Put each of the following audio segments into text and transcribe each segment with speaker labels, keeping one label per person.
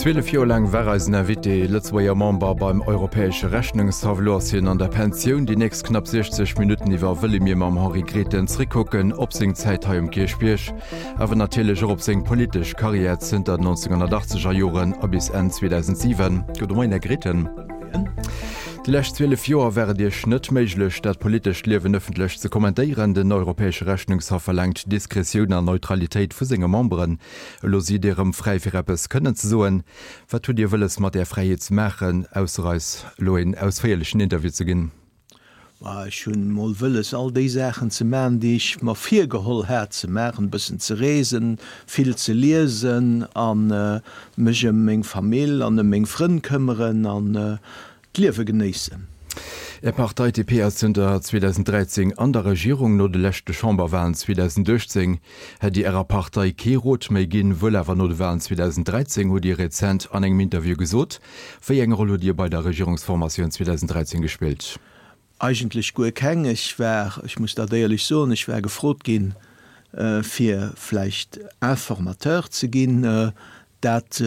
Speaker 1: 12 Joer laang war eisen Invité Lëtzebuerger Member beim Europäesche Rechnungshaff. Elo ass hien an der Pensioun. Déi nächst knapp 60 Minutten iwwer wëlle mir mam Henri Grethen zréckkucken op seng Zäit hei um Kierchbierg, awer natierlech och op seng politesch Karriär zënter den 1980er Joren a bis Enn 2007. Gudde Moien, Här Grethen. Déi lescht 12 Joer war et Iech net méiglech, dat politescht Liewen ëffentlech ze kommentéieren. Den Europäesche Rechnungshaff verlaangt Diskretioun an Neutralitéit vu senge Memberen. Elo sidd Dir erëm fräi fir eppes kënnen ze soen. Wat hutt Dir wëlles mat där Fräiheet ze maachen, ausser eis elo een ausféierlechen Interview ze ginn?
Speaker 2: Ma ech hunn mol wëlles all déi Saachen ze maachen, déi ech mer virgeholl hat ze maachen, e bëssen ze reesen, vill ze liesen a mech ëm meng Famill an ëm meng Frënn këmmeren an d'Liewe genéissen.
Speaker 1: Är Partei DP ass zënter 2013 an der Regierung. No de leschte Chamberwahlen 2018 hätt Dir Ärer Partei kee Rot méi ginn, wuel awer no de Wahlen 2013, hutt Dir rezent an engem Interview gesot. Wéi eng Roll hutt Dir bei der Regierungsformatioun 2013 gespillt?
Speaker 2: Eigentlech guer keng. Ech war, ech muss dat éierlech soen, ech war gefrot ginn, fir vläicht Informateur ze ginn. Dat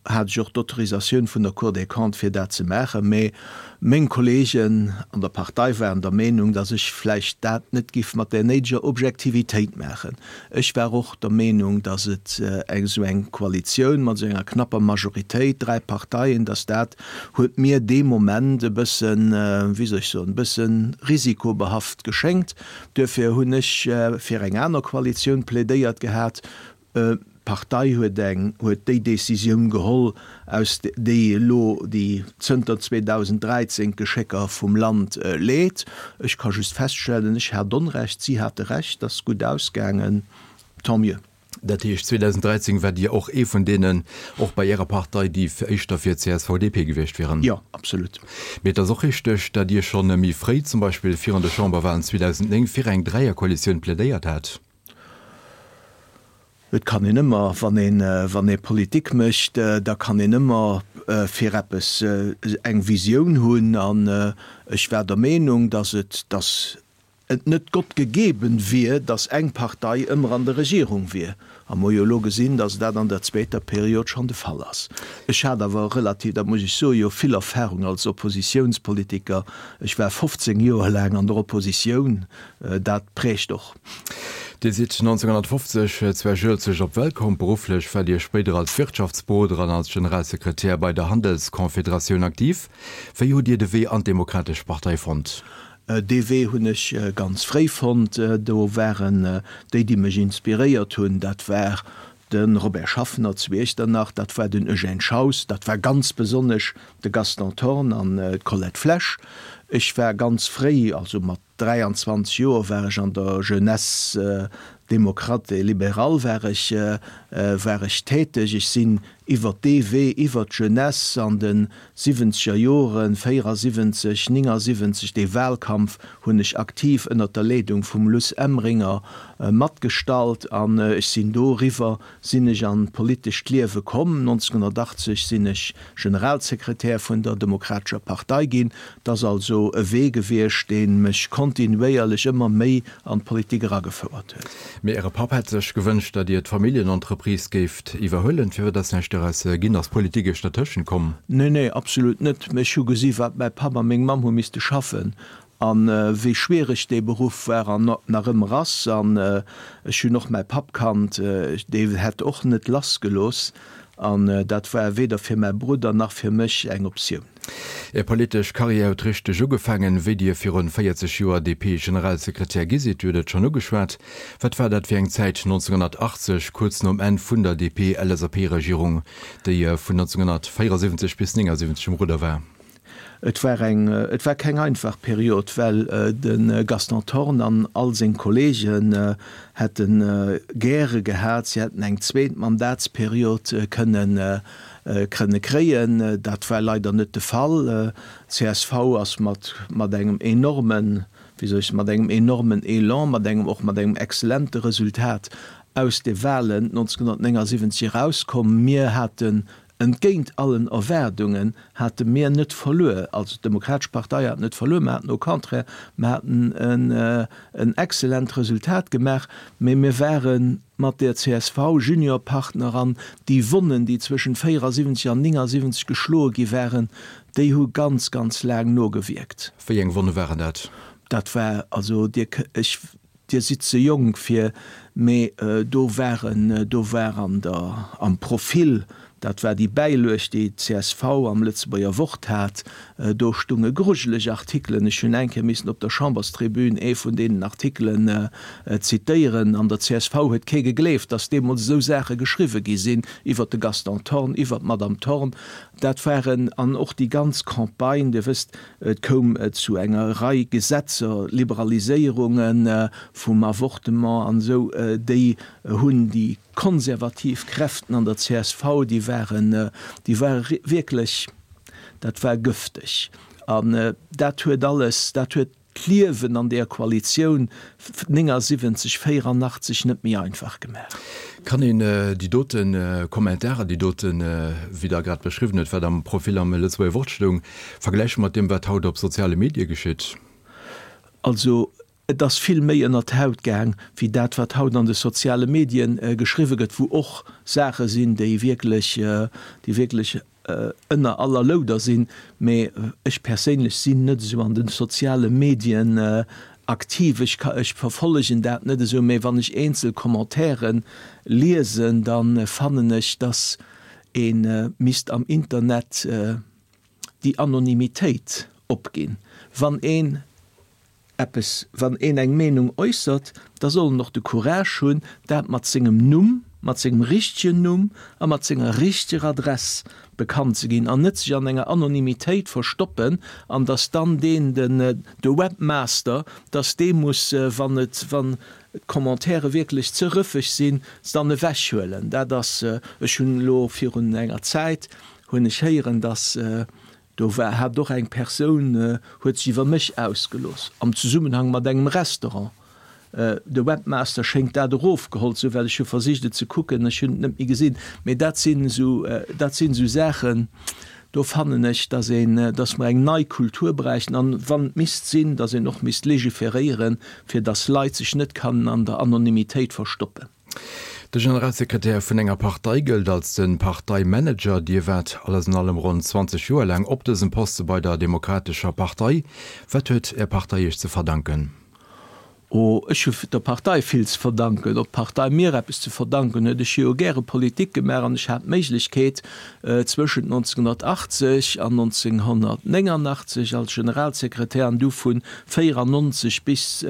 Speaker 2: hat ech och d'Autorisatioun vun der Cour des Comptes, fir dat ze maachen. Mä meng Kollegen an der Partei waren der Meenung, datt ech vläicht dat net giff mat där néideger Objektivitéit maachen. Ech war och der Meenung, datt et eng esou eng Koalitioun mat esou enger knapper Majoritéit, dräi Parteien, datt dat huet mir dee Moment e bëssen, wéi soll ech soen, e bësse risikobehaft geschéngt. Duerfir hunn ech fir eng aner Koalitioun plädéiert gehat. D'Partei huet eng, huet déi Décisioun geholl, aus déi elo, déi zënter 2013 d'Geschécker vum Land leet. Ech ka just feststellen, ech hat Onrecht, si hate Recht, ass gutt ausgaangen, tant mieux.
Speaker 1: Dat heescht, 2013 waart Dir och ee vun deenen, och bei Ärer Partei, déi éischter fir CSV-DP gewiescht wieren?
Speaker 2: Jo, absolut.
Speaker 1: Mee et ass och richteg, datt Dir schonn méi fréi, zum Beispill virun de Chamberwahlen 2009, fir eng Dräierkoalitioun plädéiert hat?
Speaker 2: Et kann een ëmmer, wann een, wann ee Politik mécht, da kann een ëmmer fir eppes eng Visioun hunn. An ech war der Meenung, dass et, dass et net Gott gegeben wier, dass eng Partei ëmmer an der Regierung wier. A mer hu jo elo gesinn, dass dat an der zweeter Period schonn de Fall ass. Ech hat awer relativ, dat muss ech soen, jo vill Erfahrung als Oppositiounspolitiker. Ech war 15 Joer laang an der Oppositioun. Dat prägt och.
Speaker 1: Dir sidd 1950 zu Esch-Uelzecht op d'Welt komm. Berufflech war Dir spéider als Wirtschaftsberoder an als Generalsekretär bei der Handelskonfederatioun aktiv. Wéi hutt Dir de Wee an d'Demokratesch Partei fonnt?
Speaker 2: Dee Wee hunn ech ganz fréi fonnt. Do waren déi, déi mech inspiréiert hunn, dat war de Robert Schaffner zu Iechternach, dat war den Eugène Schaus, dat war ganz besonnesch de Gaston Thorn an d'Colette Flesch. Ech war ganz fréi, also mat 23 Joer war ech an der Jeunesse démocrate et libérale war ech, war ech täteg. Ech sinn iwwert dee Wee, iwwert d'Jeunesse an de siwwenzeger Joren, 74, 79, dee Wahlkampf hunn ech aktiv ënnert der Leedung vum Luss Emringer matgestallt an ech sinn doriwwer sinn ech an d'politescht Liewe komm. 1980 sinn ech Generalsekretär vun der Demokratescher Partei ginn. Et ass also e Wee gewiescht, dee mech kontinuéierlech ëmmer méi an d'Politik eragefouert huet.
Speaker 1: Mee Äre Papp hätt sech gewënscht, datt Dir d'Familljenentreprise géift iwwerhuelen. Firwat ass näischt doraus ginn? Ass Politik Iech dertëschent komm?
Speaker 2: Nee, nee, absolut net. Ech hu gesi wat mäi Papp a meng Mamm hu misste schaffen A wéi schwiereg dee Beruff war an nach ëmmer ass. An ech hunn och mäi Papp kannt, dee hätt och net lassgelooss. An dat war weder fir mäi Brudder nach fir mech eng Optioun.
Speaker 1: Är politesch Karriär huet richteg ugefaangen, wéi Dir virun 40 Joer DP-Generalsekretär gi sidd. Dir hutt et schonn ugeschwat. Wat war dat fir eng Zäit 1980, kuerz nom Enn vun der DP-LSAP-Regierung, déi vun 1974 bis 1979 um Rudder war?
Speaker 2: Et war eng, et war keng einfach Period, well de Gaston Thorn an all seng Kollegen hätte gäre gehat, si hätten eng zweet Mandatsperiod kënnen, kënne kréien. Dat war leider net de Fall. Csv ass mat, mat engem enormen, wéi soll ech soen, mat engem enormen Elan, mat engem, och mat engem exzellente Resultat aus de Wahlen 1979 erauskomm. Mir haten. Entgéint allen Erwaardungen hate mir net verluer, also d'Demokratesch Partei hat net verluer, mer haten au contraire, mer haten en excellent Resultat gemaach, mä mir ware mat der csv Juniorpartner an déi Wonnen, déi zwëschent 74 an 79 geschloe gi waren, déi hu ganz, ganz laang nogewierkt.
Speaker 1: Wéi eng Wonne waren dat?
Speaker 2: Dat war, also Dir, ech, Dir sidd ze jonk fir, mee do waren, do war an der, am Profil, dat war déi Bäilueg, déi d'CSV am Lëtzebuerger Wort hat, do stunge grujeleg Artikelen. Ech hunn eng Kéier missen op der Chamberstribün ee vun deenen Artikelen zitéieren. An der csv huet kee gegleeft, datt deemools esou Saache geschriwwe gi sinn iwwert de Gaston Thorn, iwwert d'Madame Thorn. Dat waren, an och déi ganz Campagne, Dir wësst, Et koum zu enger Rei Gesetzer, Liberaliséierunge vum Avortement an esou, déi hunn déi konservativ Kräften an der csv, déi waren, déi ware wierklech, dat war gëfteg. An dat huet alles, dat huet d'Liewen an deeër Koalitioun 79, 84 net méi einfach gemaach.
Speaker 1: Kann een déi dote Kommentarer, déi doten, wéi Der grad beschriwwen hutt, wat am Profil am Lëtzebuerger Wort stoung, vergläiche mat deem, wat haut op soziale Medie geschitt?
Speaker 2: Also et ass vill méi ënner d'Haut gaang, wéi dat, wat haut an de soziale Medien geschriwwe gëtt, wou och Saache sinn, déi wierklech, déi wierklech ënner aller Louder sinn, mee ech perséinlech sinn net esou an de soziale Medien aktiv, ech ka, ech verfollegen dat net esou, mee wann ech eenzel Commentairen liesen, da fannen ech, dass ee misst am Internet déi Anonymitéit opginn, wann een eppes, wann een eng Meenung äussert, da soll en och de Courage hunn, dat mat sengem Numm, mat sengem richtegen Numm a mat senger richteger Adress bekannt ze ginn an net sech an enger Anonymitéit verstoppen an dass dann deen, den, de Webmaster, dass dee muss, wann et, wann d'Commentairen wierklech ze rëffeg sinn, se dann ewechhuelen. Dat ass, ech hunn elo virun enger Zäit hunn ech héieren, dass Do war, hat och eng Persoun, huet sech iwwer mech ausgelooss am Zesummenhang mat engem Restaurant. De Webmaster schéngt dat erofgeholl ze hunn, well ech hu versicht et ze kucken, ech hunn et net méi gesinn. Mee dat sinn esou, dat sinn esou Saachen, do fannen ech, dass een, dass mer eng nei Kultur bräichten an, wann et misst sinn, dass een och misst legiferéieren, fir dass Leit sech net kannen an der Anonymitéit verstoppen.
Speaker 1: De Generalsekretär vun enger Partei gëllt als de Parteimanager. Dir waart alles an allem ronn 20 Joer laang op dësem Poste bei der Demokratescher Partei. Wat huet Är Partei Iech ze verdanken?
Speaker 2: Oh, ech hu der Partei vill ze verdanken. Ob d'Partei mir eppes ze verdanken huet? Ech hu jo gäre Politik gemaach an ech hat d'Méiglechkeet, zwëschent 1980 an 1989 als Generalsekretär an du vun 94 bis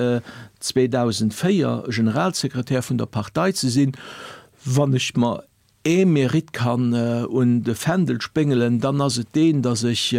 Speaker 2: 2004 Generalsekretär vun der Partei ze sinn, wann ech mer ee Mérite kann un de Fändel spéngelen, dann ass et deen, datt ech,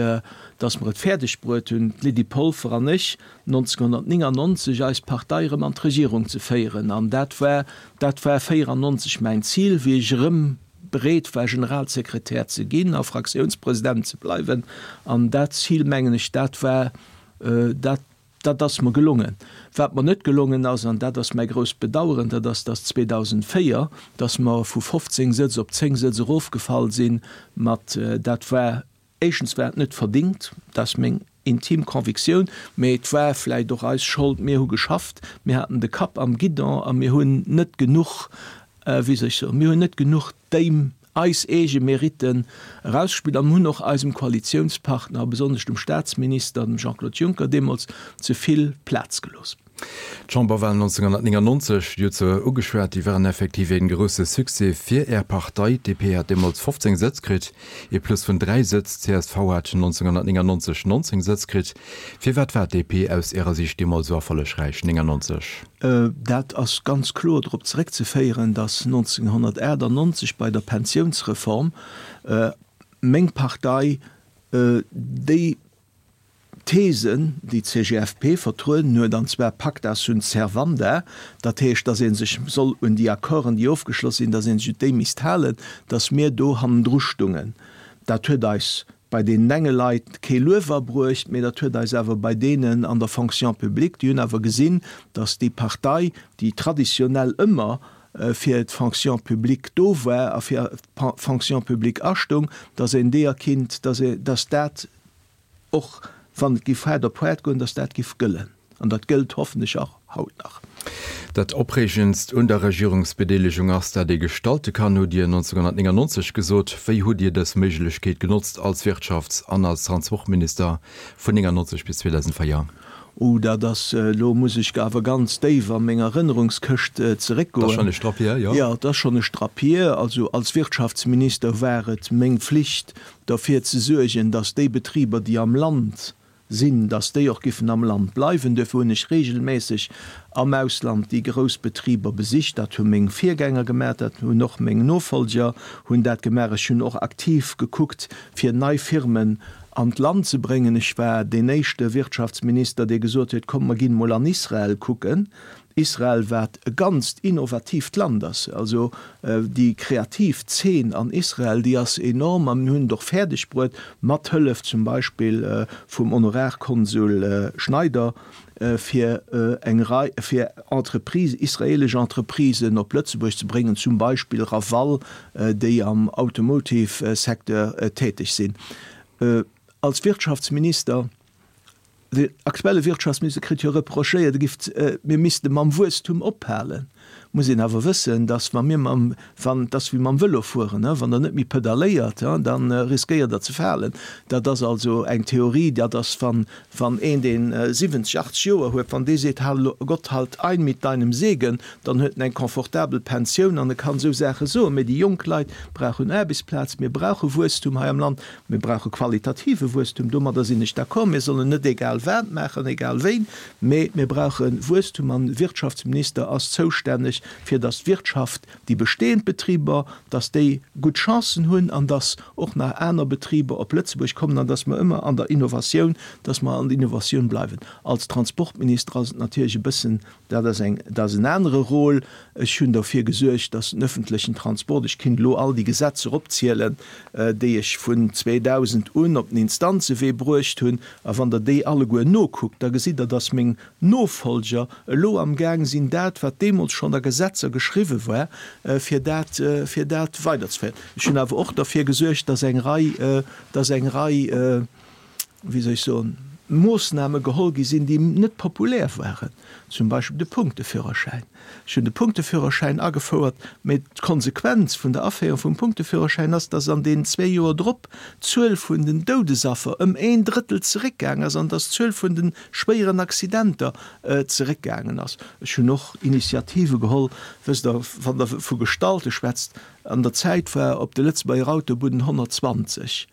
Speaker 2: datt mer et fäerdeg bruet hunn, d'Lydie Polfer an ech, 1999 eis Partei erëm an d'Regierung ze féieren. An dat war, dat war 94 mäin Zil, wéi ech erëm bereet war, Generalsekretär ze ginn a Fraktiounspresident ze bleiwen. An dat Zil, mengen ech, dat war, dat, Dat ass mer gelongen. Wat mer net gelongen ass, an dat ass mäi grousst Bedauern, dat ass, dass 2004, dass mer vu 15 Sëtz op 10 Sëtz erofgefall sinn. Mat, dat war, éischtens war et net verdingt, dat ass meng intim Convictioun, mä et war vläicht och eis Schold, mir hu geschafft, mir haten de Kapp am Guidon a mir hunn net genuch, wéi soll ech soen, mir hunn net genuch déi eis eege Meritten erausgespillt an hunn och eisem Koalitiounspartner, a besonnesch dem Staatsminister, dem Jean-Claude Juncker deemools, ze vill Plaz gelooss.
Speaker 1: D'Chamberwahlen 1999, Dir hutt se ugeschwat, déi waren effektiv ee grousse Succès fir Är Partei. D'DP hat deemools 15 Sëtz kritt, ee Plus vun 3 Sëtz. D'CSV hat 1999 19 Sëtz kritt. Firwat war d'DP aus Ärer Siicht deemools esou erfollegräich 99?
Speaker 2: Dat ass ganz kloer drop zeréckzeféieren, datt 1998 bei der Pensiounsreform meng Partei déi Thesen, déi d'CGFP vertrueden huet, an zwar pacta sunt servanda, dat heescht, datt ee sech soll un déi Accorden, déi ofgeschloss sinn, datt ee sech un déi misst halen, datt mir do hannendru stungen. Dat huet eis bei deenen enge Leit kee Luef abruecht, mee dat huet eis awer bei deenen an der Fonction publique, déi hunn awer gesinn, datt déi Partei, déi traditionell ëmmer. fir d'Fonction publique do war a fir d'Fonction publique astoung, datt een deeër kinnt, datt dat och wann et giff haart op haart goen, datt dat giff gëllen. An dat gëllt hoffentlech och haut nach.
Speaker 1: Dat Opreegendst un der Regierungsbedeelegung ass, dat ee gestalte kann, hutt Dir 1999 gesot. Wéi hutt Dir dës Méiglechkeet genotzt als Wirtschafts an als Transportminister vun 99 bis 2004?
Speaker 2: Oh, dat ass, elo muss ech awer ganz déif a meng Erënnerungskëscht zeréckgoen.
Speaker 1: Dat ass schonn e Strapp hier, jo.
Speaker 2: Jo, dat ass schonn e Strapp hier. Also als Wirtschaftsminister war et meng Pflicht, derfir ze suergen, dass déi Betriber, déi am Land sinn, dass déi och giffen am Land bleiwen. Duerfir hunn ech regelméisseg am Ausland déi grouss Betriber besicht. Dat hu meng Virgänger gemaach, dat hunn och meng Nofolger hunn dat gemaach. Ech hunn och aktiv gekuckt, fir nei Firmen an d'Land ze bréngen. Ech war deen éischte Wirtschaftsminister, dee gesot huet, Kommt, mer ginn emol an Israel kucken. Israel, wat e ganzt innovatiivt Land ass, also déi kreativ Zeen an Israel, déi ass enorm a mir hunn et och fäerdeg bruet, mat Hëllef zum Beispill vum Honorarkonsul Schneider, fir eng Rei, fir Entreprises, israelesch Entreprisen op Lëtzebuerg ze bréngen, zum Beispill Raval, déi am Automotive-Secteur täteg sinn. Als Wirtschaftsminister Den aktuelle Wirtschaftsminister kritt jo reprochéiert, e giff, mir misste mam Wuesstum ophalen. Muss een awer wëssen, datt wa mir mam, wann, et ass wéi mam Vëlo fueren, wann Der net méi pedaléiert, da riskéiert Der ze falen. Dat ass also eng Theorie, dat ass, wann, wann een, deen 70, 80 Joer huet, wann dee seet, Hal, Gott halt ein mit deinem Segen, dann huet en eng confortabel Pensioun an e kann esou Saache soen. Mä déi jonk Leit brauchen Aarbechtsplaz, mir brauche Wuesstum hei am Land. Mir brauche qualitative Wuesstum, domadder sinn ech d'accord. Mir sollen net egal wat maachen, egal wéin, mä mir brauche Wuesstum an de Wirtschaftsminister ass zoustänneg, fir datt d'Wirtschaft, déi bestehend Betriber, datt déi gutt Chancen hunn an datt och nach aner Betriber op Lëtzebuerg kommen an datt mer ëmmer an der Innovatioun, datt mer an der Innovatioun bleiwen. Als Transportminister ass et natierlech e bëssen Dat ass eng, dat ass en anere Rôle. Ech hunn derfir gesuergt, dass den öffentlechen Transport, ech kinnt elo all déi Gesetzer opzielen, déi ech vun 2000 un op den Instanzewee bruecht hunn, a wann Der déi alleguer nokuckt, da gesitt Der, dass meng Nofolger elo amgaang sinn, dat, wat deemools schonn a Gesetzer geschriwwen war, fir dat, fir dat weiderzeféieren. Ech hunn awer och derfir gesuergt, dass eng Rei, dass eng Rei, wéi soll ech soen, Moossname geholl gi sinn, déi net populär waren, zum Beispill de Punkteführerschäin. Ech hunn de Punkteführerschäin agefouert, mä d'Konsequenz vun der Aféierung vum Punkteführerschäin ass, dass an deenen zwee Joer drop d'Zuel vun den Doudesaffer ëm een Drëttel zeréckgaang ass an dass d'Zuel vun de schwéieren Accidenter zeréckgaangen ass. Ech hunn och Initiative geholl, wësst Der, wann Der vu Gestalte schwätzt, an der Zäit war op de Lëtzebuerger Autobunnen 120.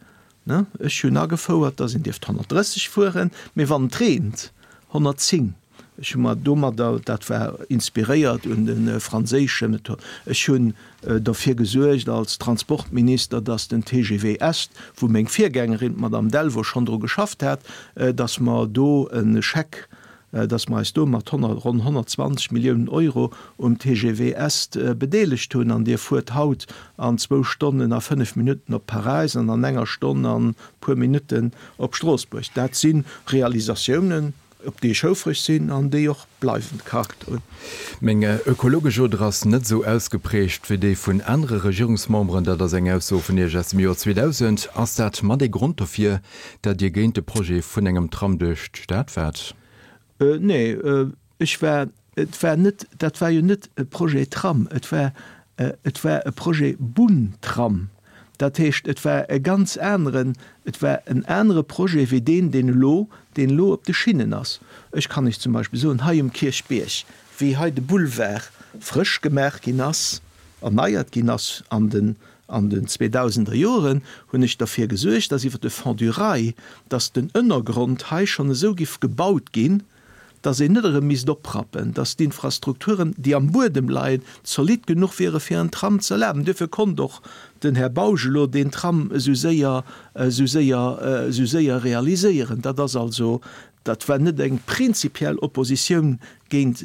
Speaker 2: Ech hunn agefouert, dass een dierft 130 fueren, mee wann et reent 110. Ech hu mer domadder, dat war inspiréiert un de franséische Method, ech hunn derfir gesuergt als Transportminister, dass den TGV Est, wou meng Virgängerin, d'Madame Delvaux, schonn dru geschafft hat, dass mer do e Scheck dass mer eis do mat ronn 120 Milliounen Euro um TGV Est bedeelegt hunn. An Dir fuert haut an zwou Stonnen a fënnef Minutten op Paräis an an enger Stonn an e puer Minutten op Stroossbuerg. Dat si Realisatiounen, op déi ech houfreg sinn an déi och bleiwend Charakter hunn.
Speaker 1: Meng ökologesch Oder ass net esou ausgeprägt wéi déi vun anere Regierungsmemberen. Dat ass eng Ausso vun Iech aus dem Joer 2000. Ass dat mat ee Grond dofir, Dat Dir géint de Projet vun engem Tram duerch d'Stad waart?
Speaker 2: Nee, ech war, et war net, dat war jo net e Projet Tram, et war, et war e Projet Bunn-Tram. Dat heescht, et war e ganz aneren, et war en anere Projet wéi deen, deen elo, deen elo op de Schinnen ass. Ech kann Iech zum Beispill soen, hei um Kierchbierg, wéi hei de Boulevard frësch gemaach ginn ass, erneiert ginn ass an den An den zweedausender Joren hunn ech derfir gesuergt, dass iwwer de Fonds du Rail, dass den Ënnergrond hei schonn esou giff gebaut ginn, dass een net erëm misst oprappen, dass d'Infrastrukturen, déi am Buedem leien, zolidd genuch wiere fir en Tram ze erlaben. Duerfir konnt och den Här Bausch elo deen Tram esou séier, esou séier, esou séier realiséieren. Dat ass also. Dat war net eng prinzipiell Oppositioun géint,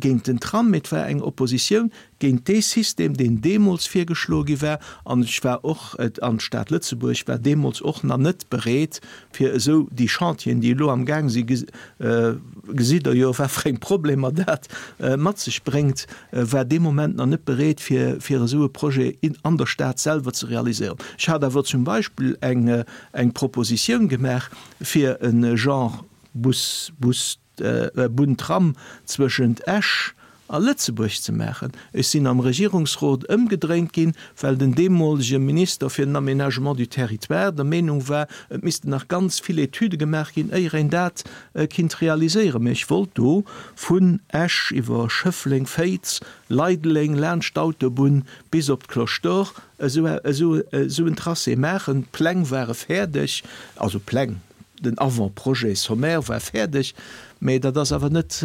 Speaker 2: géint den Tram, mee et war eng Oppositioun géint dee System, deen deemools virgeschloe gi war. An ech war och, an d'Stad Lëtzebuerg war deemools och nach net bereet, fir esou déi Chantieren, déi elo amgaang si, gesitt Der jo, wat fir eng Problemer dat mat sech bréngt, war dee Moment nach net bereet, fir, fir esou e Projet an der Stad selwer ze realiséieren. Ech hat awer zum Beispill eng, eng Propositioun gemaach, fir e Genre Bus, Bus, Bunn-Tram zwëschent Esch a Lëtzebuerg ze maachen. Ech sinn am Regierungsrot ëmgedréint ginn, well den deemolege Minister fir den Aménagement du territoire der Meenung war, et missten nach ganz vill Etüde gemaach ginn, éier een dat kinnt realiséieren. Mä ech wollt do vun Esch iwwer Schëffleng, Féiz, Leideleng, laanscht d'Autobunn bis op d'Cloche d'Or esou en Tracé maachen. D'Pläng ware fäerdeg, also Pläng, den Avant-projet sommaire war fäerdeg, mä dat ass awer net,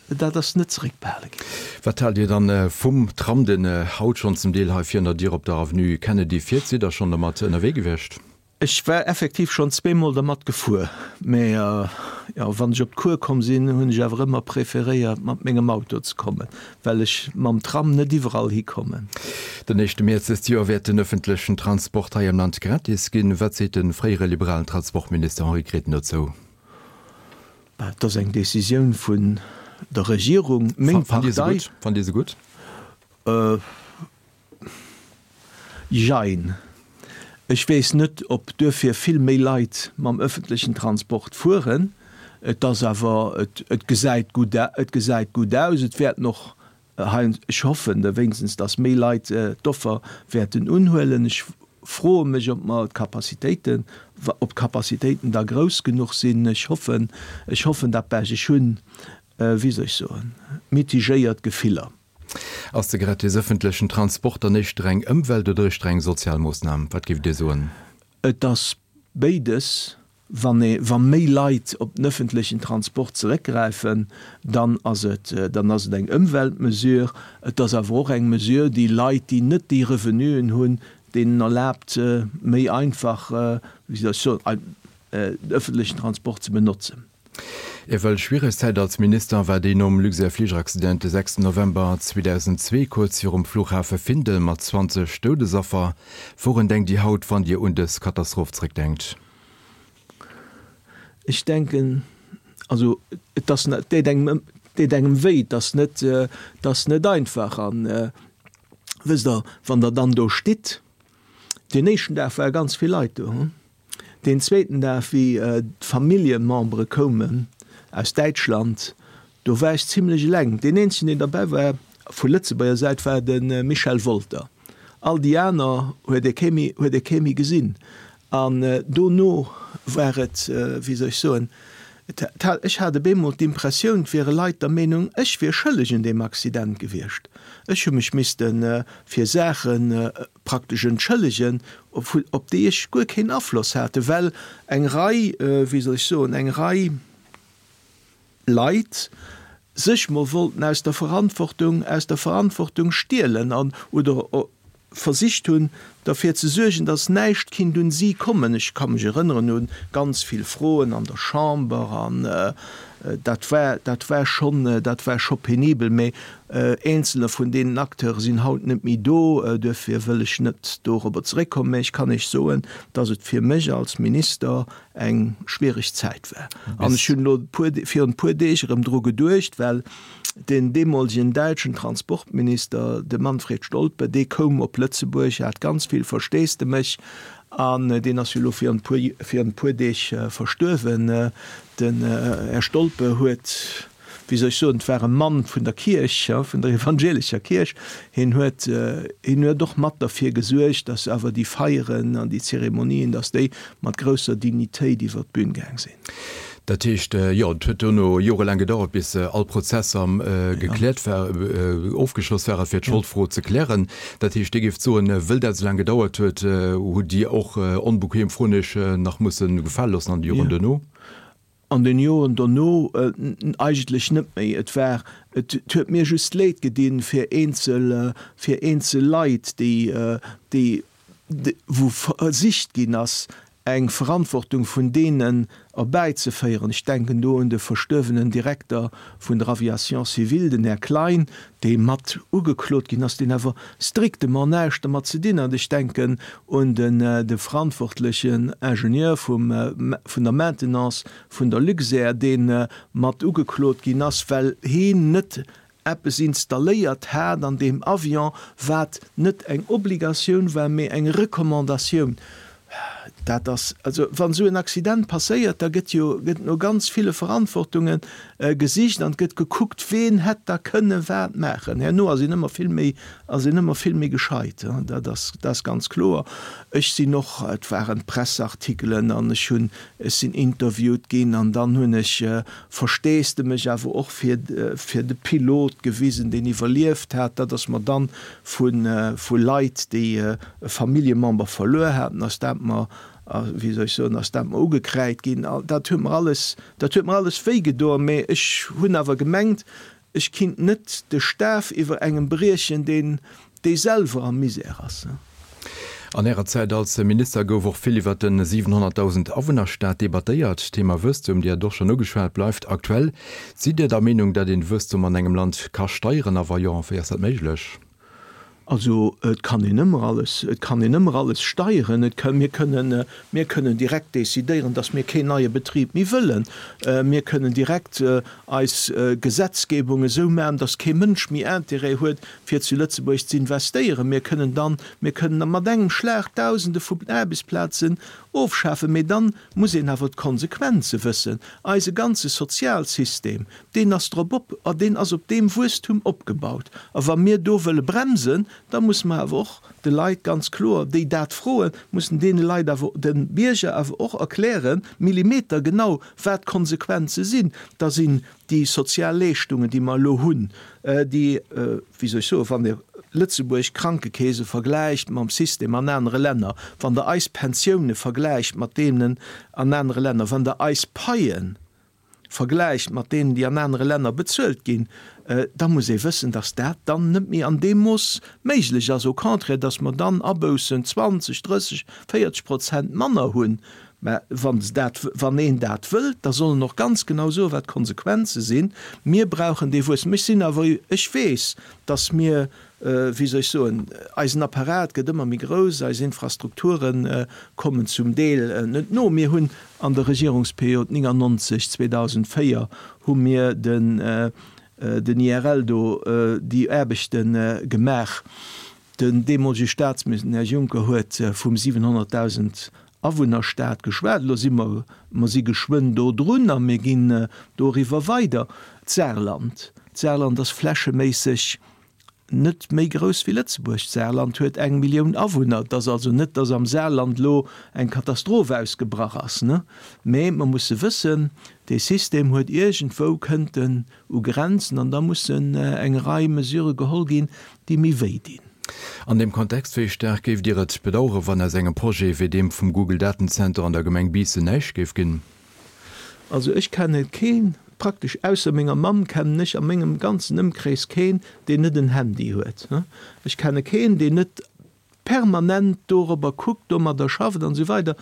Speaker 2: dat ass net zeréckbehale ginn.
Speaker 1: Wat haalt Dir dann vum Tram, den haut schonn zum Deel hei virun der Dier op der Avenue Kennedy fiert? Sidd Der schonn dermat ënnerwee gewiescht?
Speaker 2: Ech war effektiv schonn zweemol dermat gefuer, mä jo, wann ech op d'Cour komm sinn, hunn ech awer ëmmer preferéiert mat mengem Auto ze kommen, well ech mam Tram net iwwerall hikommen.
Speaker 1: Den éischte Mäerz dëst Joer wäert den ëffentlechen Transport hei am Land gratis ginn. Wat seet de fréiere liberalen Transportminister Henri Grethen dozou?
Speaker 2: Bah, et ass eng Decisioun vun der Regierung. Meng
Speaker 1: Partei. Fannt Dir se gutt?
Speaker 2: Jein. Ech weess net, ob duerfir vill méi Leit mam öffentlechen Transport fueren. Et ass awer, et gesäit gutt, et gesäit gutt aus. Et wäerten och hei, ech hoffen da wéinstens, dass méi Leit d'Offer wäerten unhuelen. Ech froe mech, ob mer d'Capacitéiten, ob d'Capacitéiten da grouss genuch sinn. Ech hoffen, ech hoffen dat Bescht. Ech hunn, wéi soll ech soen, mitigéiert Gefiller.
Speaker 1: Ass de gratis ëffentlechen Transport dann éischter eng Ëmwelt oder éischter eng sozial Moossnam? Wat géift Dir soen?
Speaker 2: Et ass béides. Wann ee, wa méi Leit op den ëffentlechen Transport zeréckgräifen, dann ass et, dann ass et eng Ëmweltmesure. Et ass awer och eng Mesure, déi Leit, déi net déi Revenuen hunn, deenen erlaabt, méi einfach, wéi soll ech soen, den ëffentlechen Transport ze benotzen.
Speaker 1: Ewell schwiereg Zäit als Minister war déi nom Luxair-Fligeraccident de 6 November 2002 kuerz virum Flughafe Findel mat 20 Doudesaffer. Wourun denkt Dir haut, wann Dir un dës Katastroph zréckdenkt?
Speaker 2: Ech denken, also et ass, et deet engem, et deet engem wéi, et ass net, et ass net einfach. An wësst Der, wann Der dann do stitt, deen éischten Dag ware ganz vill Leit do, Deen zweeten Dag, wéi d'Familljemembere koumen aus Däitschland, do war ech zimlech eleng. Deen eenzegen, deen derbäi war vu Lëtzebuerger Säit, war de Michel Wolter. All déi aner huet ee kee méi, huet ee kee méi gesinn. An dono war et, wéi soll ech soen, et hat, ech hat op eemol d'Impressioun, et wiere Leit der Meenung, ech wier schëlleg un deem Accident gewiescht. Ech hu mech misste fir Saachen praktesch entschëllegen, op déi ech guer keen Afloss hate, well eng Rei, wéi soll ech soen, eng Rei Leit sech mol wollten aus der Verantwortung, aus der Verantwortung stielen an oder versicht hunn, derfir ze suergen, datt näischt kinnt un si kommen. Ech ka mech erënneren u ganz vill Froen an der Chamber an dat war, dat war schonn, dat war scho penibel. Mä Eenzeler vun deenen Acteure sinn haut net méi do, duerfir wëll ech net dorobber zeréckkommen. Mä ech kann Iech soen, dass et fir mech als Minister eng schwiereg Zäit war. An ech hunn elo virun e puer Deeg erëm dru geduecht, well den deemolegen däitschen Transportminister, de Manfred Stolpe, dee koum op Lëtzebuerg, hat ganz vill Versteesdemech an deen ass jo elo virun e puer Deeg verstuerwen. Den Här Stolpe huet wéi soll ech soen, et war e Mann vun der Kierch, vun der evangelescher Kierch, hien huet, hien huet och mat derfir gesuergt, datt awer déi Feieren an déi Zeremonien, datt déi mat grousser Dignitéit iwwer d'Bün gaang sinn.
Speaker 1: Dat heescht, jo, et huet dono jorelaang gedauert, bis all Prozesser gekläert war, ofgeschloss ware fir d'Scholdfro ze klären. Dat heescht, Dir géift soen, wëll dat esou laang gedauert huet, hutt Dir och onbequem Froen Iech nach musse gefale loossen an de Joren duerno?
Speaker 2: An den Joren dono eigentlech net méi. Et war, et huet mir just Leed gedinn fir eenzel, fir eenzel Leit, déi, déi, wou versicht ginn ass, Eng Verantwortung vun deenen erbäizeféieren, ech denken do un de verstuerwenen Direkter vun der Aviation civile, den Här Klein, dee mat ugeklot ginn ass, deen awer strictement näischt dermat ze dinn hat, ech denken un de verantwortlechen Ingenieur vum, vun der Maintenance vun der Luxair, dee mat ugeklot ginn ass, well heen net eppes installéiert hat an deem Avion, wat net eng Obligatioun war, mee eng Recommandatioun. Dat ass, also wann esou en Accident passéiert, da gëtt jo, gëtt no ganz ville Verantwortunge gesicht an et gëtt gekuckt, ween hätt da kënne wat maachen. Herno ass een ëmmer vill méi, ass een ëmmer vill méi gescheit, dat ass, dat ass ganz kloer. Ech sinn och, et waren Presseartikelen an ech hunn, ech sinn interviewt ginn an dann hunn ech Versteesdemech awer och fir fir de Pilot gewisen, deen iwwerlieft hat. Dat ass mer dann vu vu Leit, déi e Familljemember verluer haten, ass dat mer, wéi soll ech soen, ass dat mer ugekräid ginn. Dat huet mer alles, dat huet mer alles wéi gedoen, mä ech hunn awer gemengt, Ech kinnt net de Staf iwwer engem briechen, deen dee selwer am Misär ass.
Speaker 1: An Ärer Zäit als Minister gouf och vill iwwer de 700.000 Awunnerstaat debattéiert. D'Thema Wuesstum, Dir hat et och schonn ugeschwat, bleift aktuell. Sidd Dir der Meenung, datt een Wuesstum an engem Land ka steieren a wa jo, wéi ass dat méiglech?
Speaker 2: Also et kann een ëmmer alles, et kann een ëmmer alles steieren. Et ka, mir kënnen, mir kënnen direkt decidéieren, datt mir keen neie Betrib méi wëllen. Mir kënnen direkt eis Gesetzgebung esou maachen, datt kee Mënsch méi Intérêt huet, fir zu Lëtzebuerg ze investéieren. Mir kënnen dann, mir kënnen mat engem Schlag Dausende vu Aarbechtsplazen ofschafen. Mee dann muss een awer d'Konsequenze wëssen. Eise ganze Sozialsystem, Deen ass drop op, a deen ass op deem Wuesstum opgebaut. A wa mir do wëlle bremsen, da musse mer awer och de Leit ganz kloer, déi dat froen, mussen deene Leit awer, de Bierger awer och erklären, millimetergenau, wat d'Konsequenze sinn. Da sinn déi sozial Leeschtungen, déi mer elo hunn, déi, wéi soll ech soen, wann Dir Lëtzebuerg Krankekeese vergläicht mam System an anere Länner, wann Der eis Pensioune vergläicht mat deenen an anere Länner, wann Der eis Paien vergläicht mat deenen, déi an anere Länner bezuelt ginn, da muss ee wëssen, dass dat dann net méi an deem Mooss méiglech ass, au contraire, dass mer dann Aboussen 20, 30, 40 Prozent manner hunn. Mä wann se dat, wann een dat wëllt, da soll en och ganz genau soen, wat d'Konsequenze sinn. Mir brauchen dee Wuesstem. Ech sinn awer, ech weess, dass mir, wéi soll ech soen, eisen Apparat gëtt ëmmer méi grouss, eis Infrastrukture kommen zum Deel net no. Mir hunn An der Regierungsperiod 99, 2004 hu mir den den IRL do déi Aarbechte gemaach. Den deemolege Staatsminister, den Här Juncker, huet vum 700.000 Awunnerstaat geschwat. Elo si mer, mer si geschwënn do drun a mir ginn doriwwer weider. D'Saarland, d'Saarland ass flächeméisseg net méi grouss wéi Lëtzebuerg. D'Saarland huet eng Millioun Awunner. Et ass also net, datt am Saarland elo eng Katastroph ausgebrach ass, ne? Mä mer musse wëssen, dee System huet iergendwou, kënnt en u Grenzen an da mussen eng Rei Mesurë geholl ginn, déi méi wéi dinn.
Speaker 1: An deem Kontext, wéi staark géift Dir et bedauere wann aus engem Projet wéi deem vum Google Datenzenter an der Gemeng Biissen näischt géif ginn?
Speaker 2: Also ech kenne keen, praktesch ausser menger Mamm kennen ech a mengem ganzen Ëmkrees keen, deen net en Handy huet. Ech kenne keen, deen net permanent dorobber kuckt, domadder schafft an esou weider.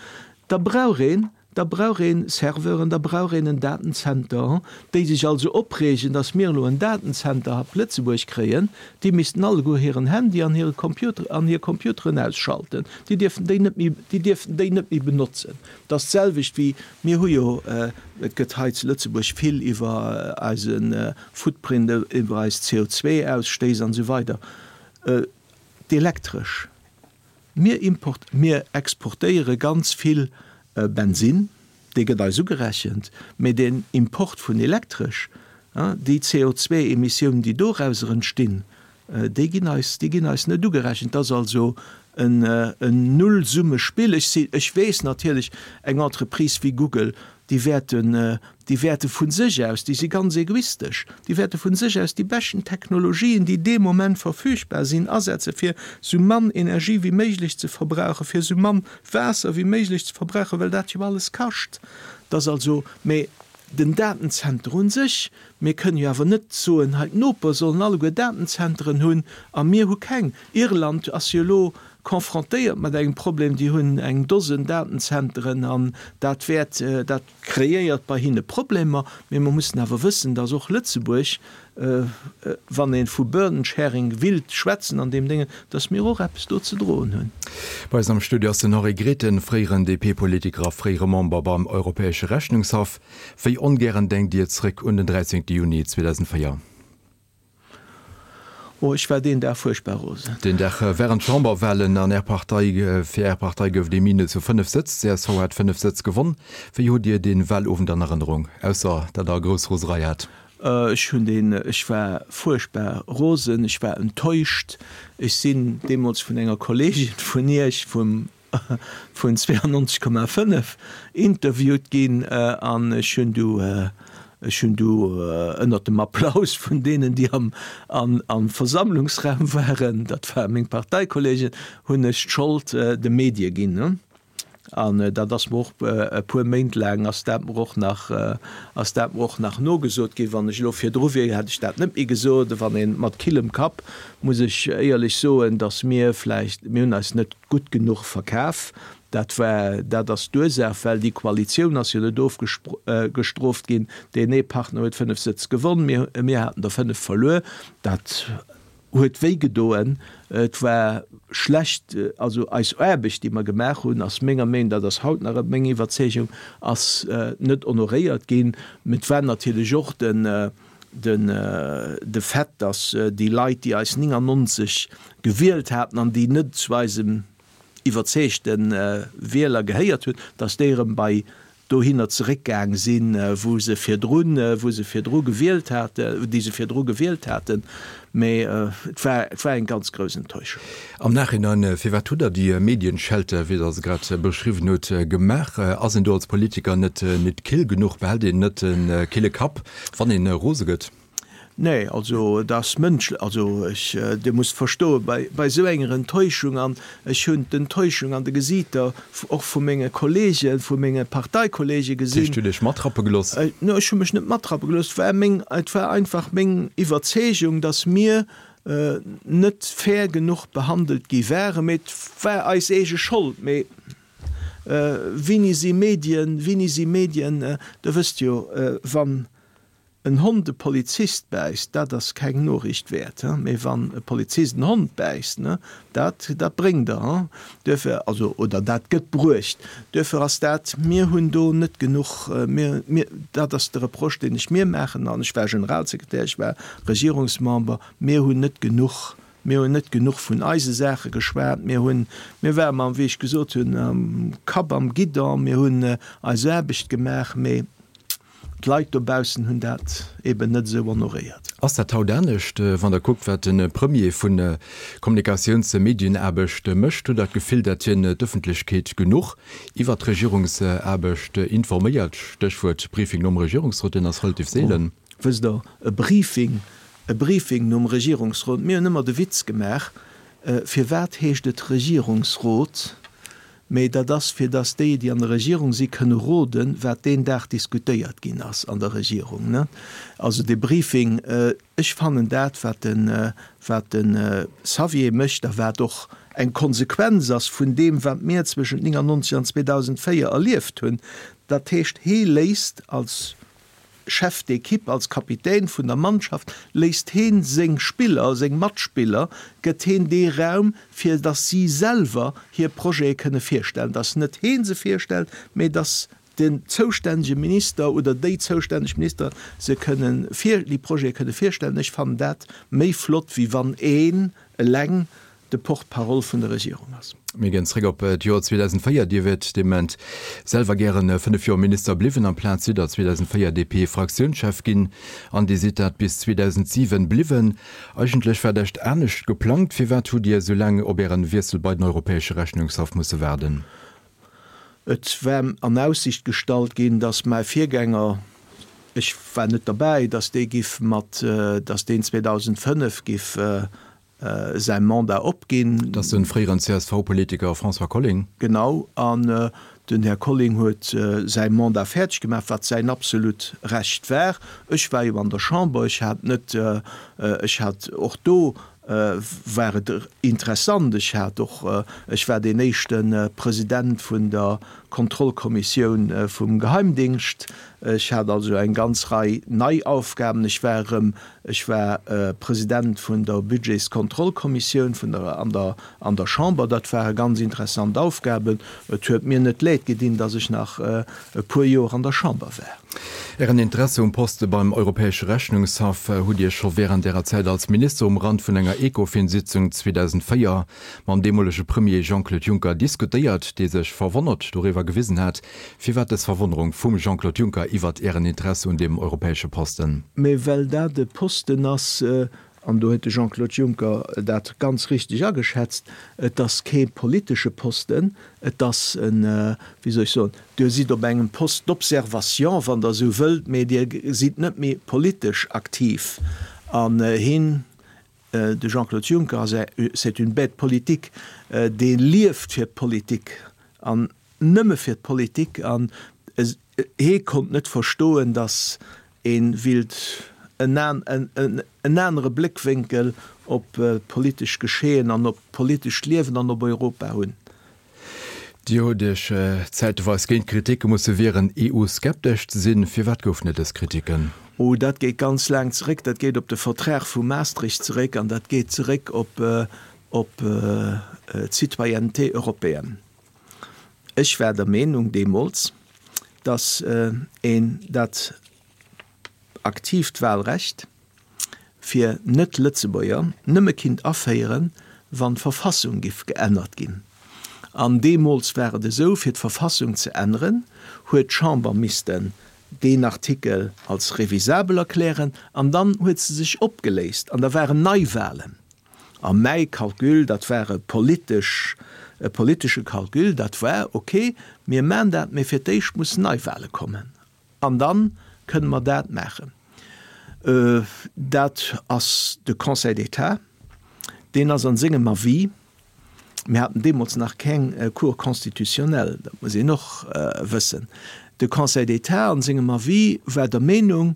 Speaker 2: Da brauch een, da brauch een Serveuren, da brauch een en Datenzenter. Déi sech also opreegen, datt mir elo en Datenzenter op Lëtzebuerg kréien, déi missten alleguer hiren Handy an hire Computer an hir Computeren ausschalten. Déi dierften déi net méi, déi dierften déi net méi benotzen. Et ass d'selwecht wéi, mir hu jo, et gëtt hei zu Lëtzebuerg vill iwwer eise Footprint, iwwer eis CO2-Ausstéiss an esou weider, d'Elektresch, mir import, mir exportéiere ganz vill Bensinn, dee gëtt eis ugerechent, mee den Import vun Elektresch, déi CO2-Emissiounen, déi dorauser entstinn, Déi ginn eis, déi ginn eis net ugerechent. Dat ass also en Nullsummespill. Ech si, ech weess natierlech, eng Entreprise wéi Google, déi wäerten, déi wäerte vu sech aus, déi si ganz egoistesch, déi wäerte vu sech aus déi beschten Technologien, déi dee Moment verfügbar sinn, asetze fir esou mann Energie wéi méiglech ze verbrauchen, fir esou mann Waasser wéi méiglech ze verbrauchen, well dat jo alles kascht. Dat ass also, mee den Datenzenter un sech. Mir kënnen jo awer net soen, hei d'Noper sollen alleguer Datenzenteren hunn a mir hu keng. Irland ass jo elo confrontéiert mat engem Problem, déi hunn eng Dosen Datenzenteren an dat wäert, dat kreéiert bei hinne Problemer. Mee mer mussen awer wëssen, dass och Lëtzebuerg, wann ee vu Burden sharing willt schwätzen an deem Déngen, dass mir och eppes do ze droen hunn.
Speaker 1: Bei eis am Studio ass den Henri Grethen, fréieren DP-Politiker a fréiere Member beim Europäesche Rechnungshaff. Wéi ongären denkt Dir zréck un den 13 Juni 2004?
Speaker 2: Oh, ech war deen Dag fuerchtbar rosen.
Speaker 1: Deen Dag waren d'Chamberwahlen an Är Partei, fir Är Partei gouf et ee Minus vu 5 Sëtz. D'CSV hat 5 Sëtz gewonn. Wéi hutt Dir dee Wahlowend an Erënnerung, ausser datt Der grouss Roserei hat?
Speaker 2: Ech hunn deen, ech war fuerchtbar rosen, ech war enttäuscht. Ech sinn deemools vun enger Kolleegin vun Iech, vum vun 92,5 interviewt ginn an ech hunn du ech hunn du ënnert dem Applaus vun deenen, déi am am Versammlungsraum waren, dat ware meng Parteikollegen, hunn ech d'Schold de Medie ginn. An dat ass mer och e puer Méint laang ass dat mer och nach ass dat mer och nach nogesot ginn. Wann ech elo virdru wier, hätt ech dat net méi gesot. Wann ee mat killem Kapp, muss ech éierlech soen, datt mir vläicht, mir hunn eis net gutt genuch verkaf. Dat war, dat ass d'Ursaach, well déi Koalitioun ass jo net ofgestrooft ginn. Deen ee Partner huet 5 Sëtz gewonn, mir, mir haten der 5 verluer. Dat huet wéi gedoen. Et war schlecht, also eis Aarbecht, déi mer gemaach hunn, ass menger Meenung, dat ass haut nach meng Iwwerzeegung, ass net honoréiert ginn. Mä et war natierlech och den, Den de Fait, datt déi Leit, déi eis 99 gewielt haten an déi net zu eisem iwwerzeegte Wieler gehéiert hunn, datt déi erëm bei dohinner zeréckgaang sinn, wou se virdrun, wou se virdru gewielt haten, déi se virdru gewielt haten. Mä et war, et war eng ganz grouss Enttäuschung.
Speaker 1: Am Nachhinein, firwat hutt Der déi Medienschelte, wéi Der se grad beschriwwen hutt, gemaach? Ass een do als Politiker net net kill genuch? Behält een net e kille Kapp, wann een rose gëtt?
Speaker 2: Nee, also et ass mënschlech. Also ech, Dir musst verstoen, bei bei esou enger Enttäuschung, an ech hunn d'Enttäuschung an de Gesiiter och vu menge Kollegen, vu menge Parteikollege gesinn.
Speaker 1: Dat heescht, Dir hutt Iech matrappe gelooss?
Speaker 2: No, ech hu mech net matrappe gelooss. Et war meng, et war einfach meng Iwwerzeegung, datt mir net fair genuch behandelt gi waren. Mee et war eis eege Schold. Mee wéini si Medien, wéini si Medien, Der wësst jo, wann en Hond e Polizist bäisst, dat ass keng Noriicht wäert, mee wann e Polizist en Hond bäisst, dat, dat bréngt der, duerfir, also, oder dat gëtt bruecht. Duerfir ass dat, mir hunn do net genuch, mir, mir, dat ass de Reproche, deen ech mir maachen, an ech war Generalsekretär, ech war Regierungsmember, mir hunn net genuch, mir hunn net genuch vun eise Saache geschwat, mir hunn, mir ware mam, wéi ech gesot hunn, am Kapp am Guidon, mir hunn eis Aarbecht gemaach, mee D'Leit dobaussen hunn dat eben net esou honoréiert.
Speaker 1: Ass dat haut anescht, wann Der kuckt, wat de Premier vu Kommunikatiouns Medienaarbecht mécht? Hutt Der d'Gefill, datt hien d'Ëffentlechkeet genuch iwwert d'Regierungsaarbecht informéiert? Stéchwuert Briefing nom Regierungsrot, deen ass relativ seelen.
Speaker 2: Wësst Der, e Briefing, e Briefing nom Regierungsrot, mir hunn ëmmer de Witz gemaach, firwat heescht et Regierungsrot? Mee dat ass, fir dass déi, déi an der Regierung si kënne roden, wat deen Dag diskutéiert ginn ass an der Regierung. Ne? Also dee Briefing, ech fannen dat, wat de, wat de Xavier mécht a wat och eng Konsequenz ass vun deem, wat mir zwëschent 99 an 2004 erlieft hunn, dat heescht, hee léisst als Chef d'équipe, als Kapitän vun der Mannschaft léisst heen seng Spiller, seng Matspiller, gëtt heen dee Raum, fir datt si selwer hir Projete kënne virstellen, datt net heen se virstellt, mee datt den zoustännege Minister oder déi zoustänneg Minister se kënnen vir, déi Projete kënne virstellen. Ech fannen dat méi flott, wéi wann een eleng de Porte-parole vun der Regierung ass.
Speaker 1: Mir ginn zréck op d'Joer 2004. Dir wiert dee Moment selwer gären 5 Joer Minister bliwwen. Amplaz sidd Der 2004 DP-Fraktiounschef ginn an Dir sidd dat bis 2007 bliwwen. Eigentlech war d'Echt anescht geplangt. Firwat hutt Dir esou laang op Ären Wiessel bei den Europäesche Rechnungshaff musse waarden?
Speaker 2: Et war an Aussicht gestallt ginn, datt mäi Virgänger, ech war net derbäi, datt dee giff mat, datt deen 2005 giff säi Mandat opginn.
Speaker 1: Dat ass de fréieren CSV-Politiker François Colling.
Speaker 2: Genau. An. Den Här Colling huet säi Mandat fäerdeg gemaach, wat säin absolut Recht war. Ech war jo an der Chamber, ech hat net, ech hat och do war et interessant, ech hat och, ech war deen éischte President vun der Kontrollkommissioun vum Geheimdingscht, ech hat also eng ganz Rei nei Aufgaben, ech war erëm, ech war President vun der Budgetskontrollkommissioun vun der, an der, an der Chamber. Dat ware ganz interessant Aufgaben. Et huet mir net leed gedinn, datt ech nach e puer Joer an der Chamber war.
Speaker 1: Ären Interesse um Poste beim Europäesche Rechnungshaff hutt Dir scho wärend Ärer Zäit als Minister um Rand vun enger Ecofin-Sitzung 2004 mam deemolege Premier Jean-Claude Juncker diskutéiert, dee sech verwonnert doriwwer gewisen hat. Firwat dës Verwonnerung vum Jean-Claude Juncker iwwert Ären Interesse un deem europäesche Posten?
Speaker 2: Mee well dat e Posten ass, An do huet de Jean-Claude Juncker dat ganz richteg ageschätzt, Et ass kee politesche Posten, et ass en, wéi soll ech soen, Dir sidd op engem Poste d'observation, wann Der esou wëllt, mee Dir sidd net méi politesch aktiv. An hien, de Jean-Claude Juncker, ass, c'est une bête politique, dee lieft fir d'Politik an nëmme fir d'Politik. An hie konnt net verstoen, datt Een willt en anere Bléckwénkel op d'politescht Geschehen an op d'politescht Liewen an op Europa hunn.
Speaker 1: Dir hutt Iech zäiteweis géint Kriticke musse wieren, EU-skeptesch ze sinn. Firwat goufen et dës Kriticken?
Speaker 2: Oh, dat geet ganz laang zeréck. Dat geet op de Vertrag vu Maastricht zeréck an dat geet zeréck op d'Citoyenneté européenne. Ech war der Meenung deemools, dass een dat aktiivt Wahlrecht fir Net-Lëtzebuerger nëmme kinnt aféieren, wann d'Verfassung giff geännert ginn. An deemools war et esou, fir d'Verfassung ze änneren, huet d'Chamber missten deen Artikel als revisabel erklären an dann huet se sech opgeléist an da waren Neiwahlen. A mäi Calcul, dat war e politesch, e politesche Calcul, dat war, ok, mir maan dat, mee fir d'éischt mussen Neiwahle kommen an da kënne mer dat maachen. Dat ass de Conseil d'État, deen ass an sengem Avis, mir haten deemools nach keng Cour constitutionnelle, dat muss een och wëssen, de Conseil d'État an sengem Avis war der Meenung,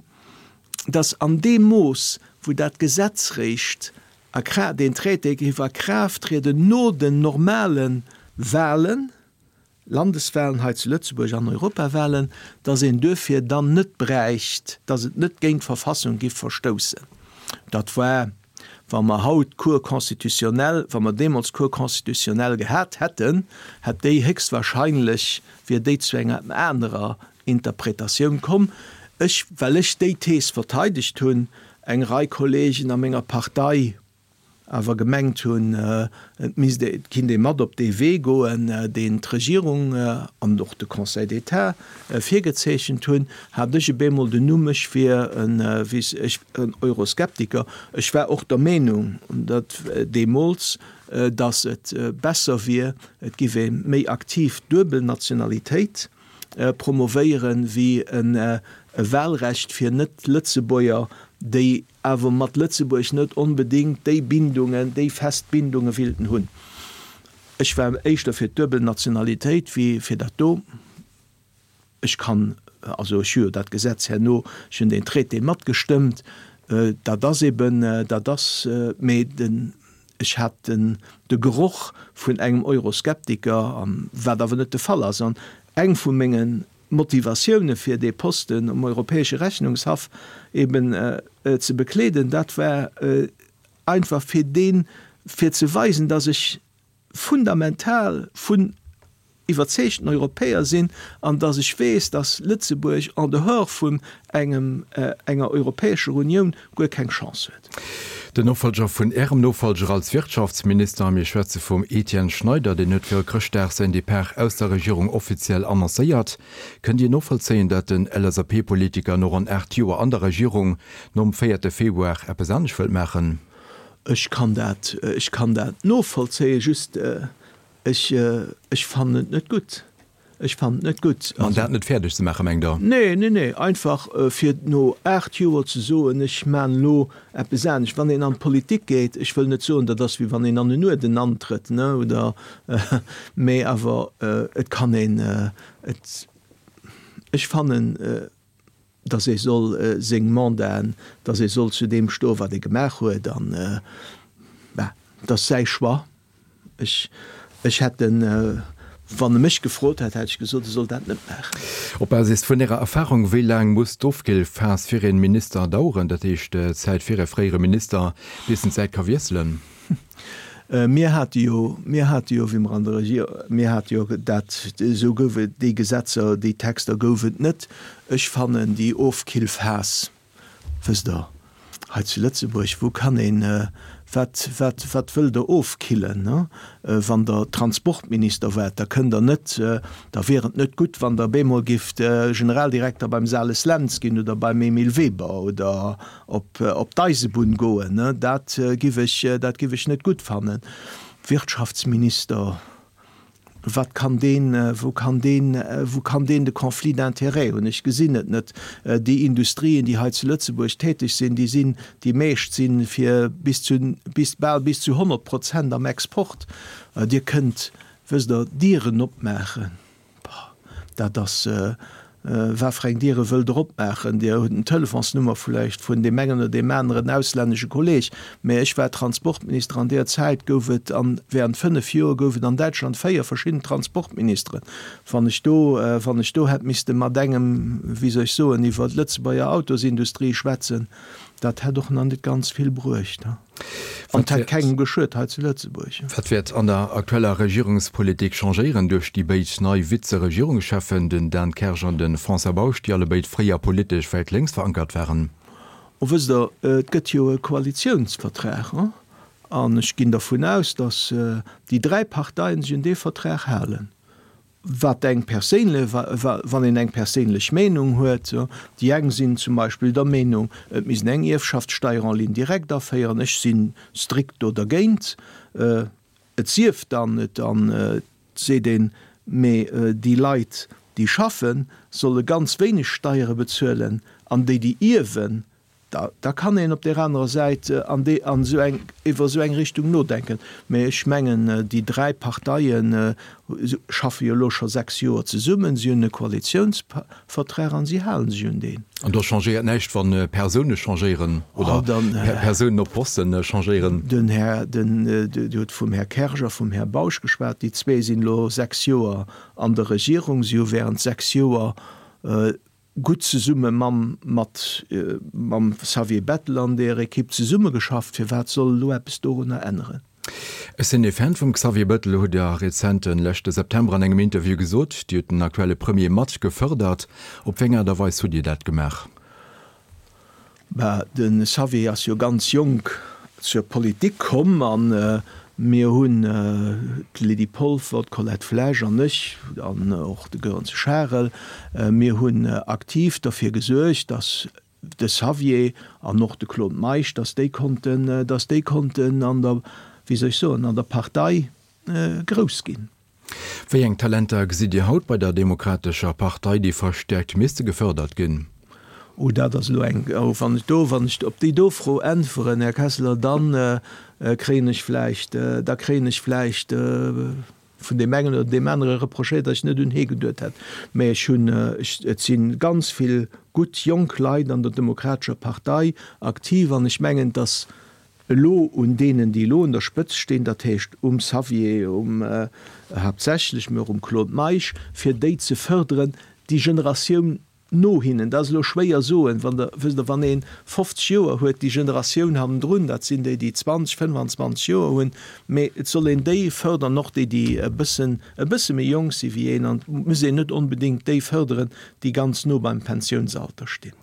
Speaker 2: dass an deem Mooss, wou dat Gesetz réischt a Kraaft, deen Traité géif a Kraaft trieden no den normale Wahlen, Landeswahlen hei zu Lëtzebuerg an Europawahlen, dass een duerfir dann net bräicht, dass et net géint d'Verfassung giff verstoussen. Dat war, wa mer haut d'Cour constitutionnelle, wa mer deemools d'Cour constitutionnelle gehat hätten, hätt déi héchstwahrscheinlech, wier déi zu enger anerer Interpretatioun komm. Ech, well ech déi Thees verteidegt hunn, eng Rei Kollegen a menger Partei awer gemengt hunn, et misst ee, et kinnt ee mat op dee Wee goen, deen d'Regierung an och de Conseil d'État virgezeechent hunn, hat ech op eemol den Numm, ech wier en, wéi ech, en Euroskeptiker. Ech war och der Meenung, datt deemools, datt et besser wier, et giff ee méi aktiv d'duebel Nationalitéit promovéieren, wéi e Wahlrecht fir Net-Lëtzebuerger, déi awer mat Lëtzebuerg net onbedéngt déi Bindungen, déi fest Bindunge willten hunn. Ech war éischter fir d'duebel Nationalitéit wéi fir dat do. Ech kann, also ech hu jo dat Gesetz herno, ech hunn deen Traité matgestëmmt, dat ass eben, dat ass, mee den, Ech hat den de Geroch vun engem Euroskeptiker, an wat awer net de Fall ass. An eng vu menge Motivatioune fir dee Posten um Europäesche Rechnungshaff eben ze bekleeden, dat war einfach fir deen, fir ze weisen, datt ech fundamental vun iwwerzeegten Europäer sinn an dass ech weess, dass Lëtzebuerg en dehors vun engem, enger Europäescher Unioun guer keng Chance huet.
Speaker 1: Den Nofolger vun Ärem Nofolger als Wirtschaftsminister, mir schwätze vum Etienne Schneider, deen huet viru Chrëschtdag säin Depart aus der Regierung offiziell annoncéiert. Kënnt Dir novollzéien, datt den LSAP-Politiker no ronn 8 Joer an der Regierung nom véierte Februar eppes anescht wëllt maachen?
Speaker 2: Ech kann dat, ech kann dat novollzéien, just Ech, ech fannen et net gutt. Ech fannen et net gutt.
Speaker 1: Mandat net fäerdeg ze maachen, mengt Der?
Speaker 2: Nee, nee, nee. Einfach fir no 8 Joer ze soen, ech maan elo eppes anescht. Wann een an d'Politik geet, ech wëll net soen, dat ass wéi wann een an en Uerden antrëtt, ne, oder, mee awer et kann een et, ech fannen, dass ee soll seng Mandaten, dass ee soll zu deem stoen, wat ee gemaach huet an, bah, et ass säi Choix. Ech, ech hätt en, wann e mech gefrot hätt, hätt ech gesot, e soll dat net maachen.
Speaker 1: Op Basis vun Ärer Erfahrung, wéi laang muss d'Ofkillphas fir ee Minister daueren, dat heescht d'Zäit fir e fréiere Minister, bis en d'Säit ka wiesselen?
Speaker 2: Mir hate jo, mir hate jo, wéi mer an der Regier, mir hate jo dat, esou gouf et, déi Gesetzer, déi Texter gouf et net. Ech fannen déi Ofkillphas, wësst Der, hei zu Lëtzebuerg, wou kann een, wat, wat, wat wëllt Der ofkillen, ne? Wann Der Transportminister waart, da kënnt Der net, da wier et net gutt, wann Der bemol gifft Generaldirekter beim Sales Lentz ginn oder beim Emile Weber oder op, op d'Eisebunn goen, ne? Dat giff ech, dat giff ech net gutt fannen. Wirtschaftsminister, Wat kann deen, wou kann deen, wou kann deen de Conflit d'intérêts hunn? Ech gesinn et net. Déi Industrien, déi hei zu Lëtzebuerg täteg sinn, déi sinn, déi meescht si fir bis zu, bis, bal bis zu 100 Prozent am Export. Dir kënnt, wësst Der, Dieren opmaachen. Boah, dat ass, Wat fir eng Diere wëllt Der opmaachen? Dir hutt en Telefonsnummer vläicht vun deem engen oder deem aneren auslännesche Kolleeg. Mä ech war Transportminister. An deer Zäit gouf et an, während 5 Joer gouf et an Däitschland 4 verschidden Transportministeren. Wann ech do, wann ech do hätt misste mat engem, wéi soll ech soen, iwwer d'Lëtzebuerger Autosindustrie schwätzen, dat hätt och nach net ganz vill bruecht. An et hätt kengem geschuet hei zu Lëtzebuerg.
Speaker 1: Wat wäert an der aktueller Regierungspolitik changéieren duerch déi béid nei Vize-Regierungscheffen, den Dan Kersch an de François Bausch, déi allebéid fréier politesch wäit lénks verankert waren?
Speaker 2: Oh, wësst Der, et gëtt jo e Koalitiounsvertrag, an ech ginn dervun aus, datt déi dräi Parteien sech un dee Vertrag halen. Wat eng perséinle, wann een eng perséinlech Meenung huet, déi eng sinn zum Beispill der Meenung, et misst een eng Ierfschaftssteier en ligne directe aféieren, ech si strikt do dergéint, et sief dann, et an et seet een, mee déi Leit, déi schaffen, solle ganz wéineg Steiere bezuelen an déi, déi ierwen, Da, da kann een op där anerer Säit an déi, an esou eng, iwwer esou eng Richtung nodenken. Mä ech mengen, déi dräi Parteie schaffe jo elo scho 6 Joer zesummen, si hunn e Koalitiounsvertrag an si hale sech un deen.
Speaker 1: An do changéiert näischt, wa Persoune changéieren oder Persounen op Poste changéieren?
Speaker 2: Den Här, den, Dir hutt vum Här Kersch a vum Här Bausch geschwat. Déi zwee sinn elo 6 Joer an der Regierung. Si hu während 6 Joer gutt zesumme mam mat mam Xavier Bettel an der Ekipp zesummegeschafft. Firwat soll elo eppes dorunner änneren?
Speaker 1: Ech sinn ee Fan vum Xavier Bettel, hutt Der rezent den leschte September an engem Interview gesot. Dir hutt den aktuelle Premier mat gefërdert. Op wéi eng Aart a Weis hutt Dir dat gemaach?
Speaker 2: Bah, de Xavier ass jo ganz jonk zur Politik komm a mir hunn, d'Lydie Polfer, d'Colette Flesch an ech an och de Goerens Charel, mir hunn aktiv derfir gesuergt, datt de Xavier an och de Claude Meisch, datt déi konnten, datt déi konnten an der, wéi soll ech soen, an der Partei grouss ginn.
Speaker 1: Wéi eng Talenter gesitt Dir haut bei der Demokratescher Partei, déi verstäerkt misste gefërdert ginn?
Speaker 2: Oh, dat ass elo eng, oh, wann ech do, wann ech op déi do Fro äntweren, Här Kessler, da kréien ech vläicht, da kréien ech vläicht vun deem engen oder deem anere reprochéiert, datt ech net un hee geduet hätt. Mä ech hunn, ech, et si ganz vill gutt jonk Leit an der Demokratescher Partei aktiv an ech mengen, datt Elo un deenen, déi elo un der Spëtzt stinn, dat heescht um Xavier, um, haaptsächlech, mee och um Claude Meisch, fir déi ze fërderen, déi Generatioun no hinnen. Dat ass elo schwéier soen, wann Der, wësst Der, wann ee 50 Joer huet, déi Generatioun hannendrun, dat sinn déi, déi 20, 25 Joer hunn, mee et soll een déi fërderen, och déi, déi e bëssen, e bësse méi jonk si wéi een, an et muss een net onbedéngt déi fërderen, déi ganz no beim Pensiounsalter stinn.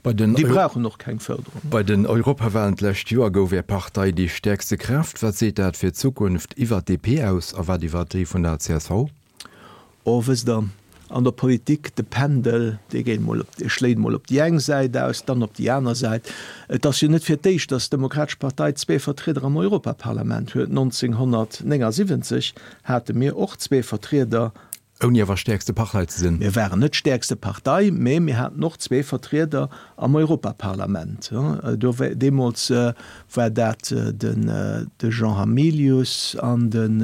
Speaker 1: Déi
Speaker 2: brauchen och keng Fërderung.
Speaker 1: Bei den Europawahlen d'lescht Joer gouf Är Partei déi stäerkste Kraaft. Wat seet dat fir d'Zukunft iwwer d'DP aus a wat iwwer déi vun der csv?
Speaker 2: Oh, wësst Der, an der Politik, de Pendel, dee geet mol op, dee schléit mol op déi eng Säit aus, dann op déi aner Säit. Et ass jo net fir d'éischt, datt d'Demokratesch Partei zwee Vertrieder am Europaparlament huet. 1979 hate mir och zwee Vertrieder.
Speaker 1: Ouni awer stäerkste Partei ze sinn.
Speaker 2: Mir waren net stäerkste Partei, mä mir haten och zwee Vertrieder am Europaparlament. Do deemools war dat den de Jean Hamilius an den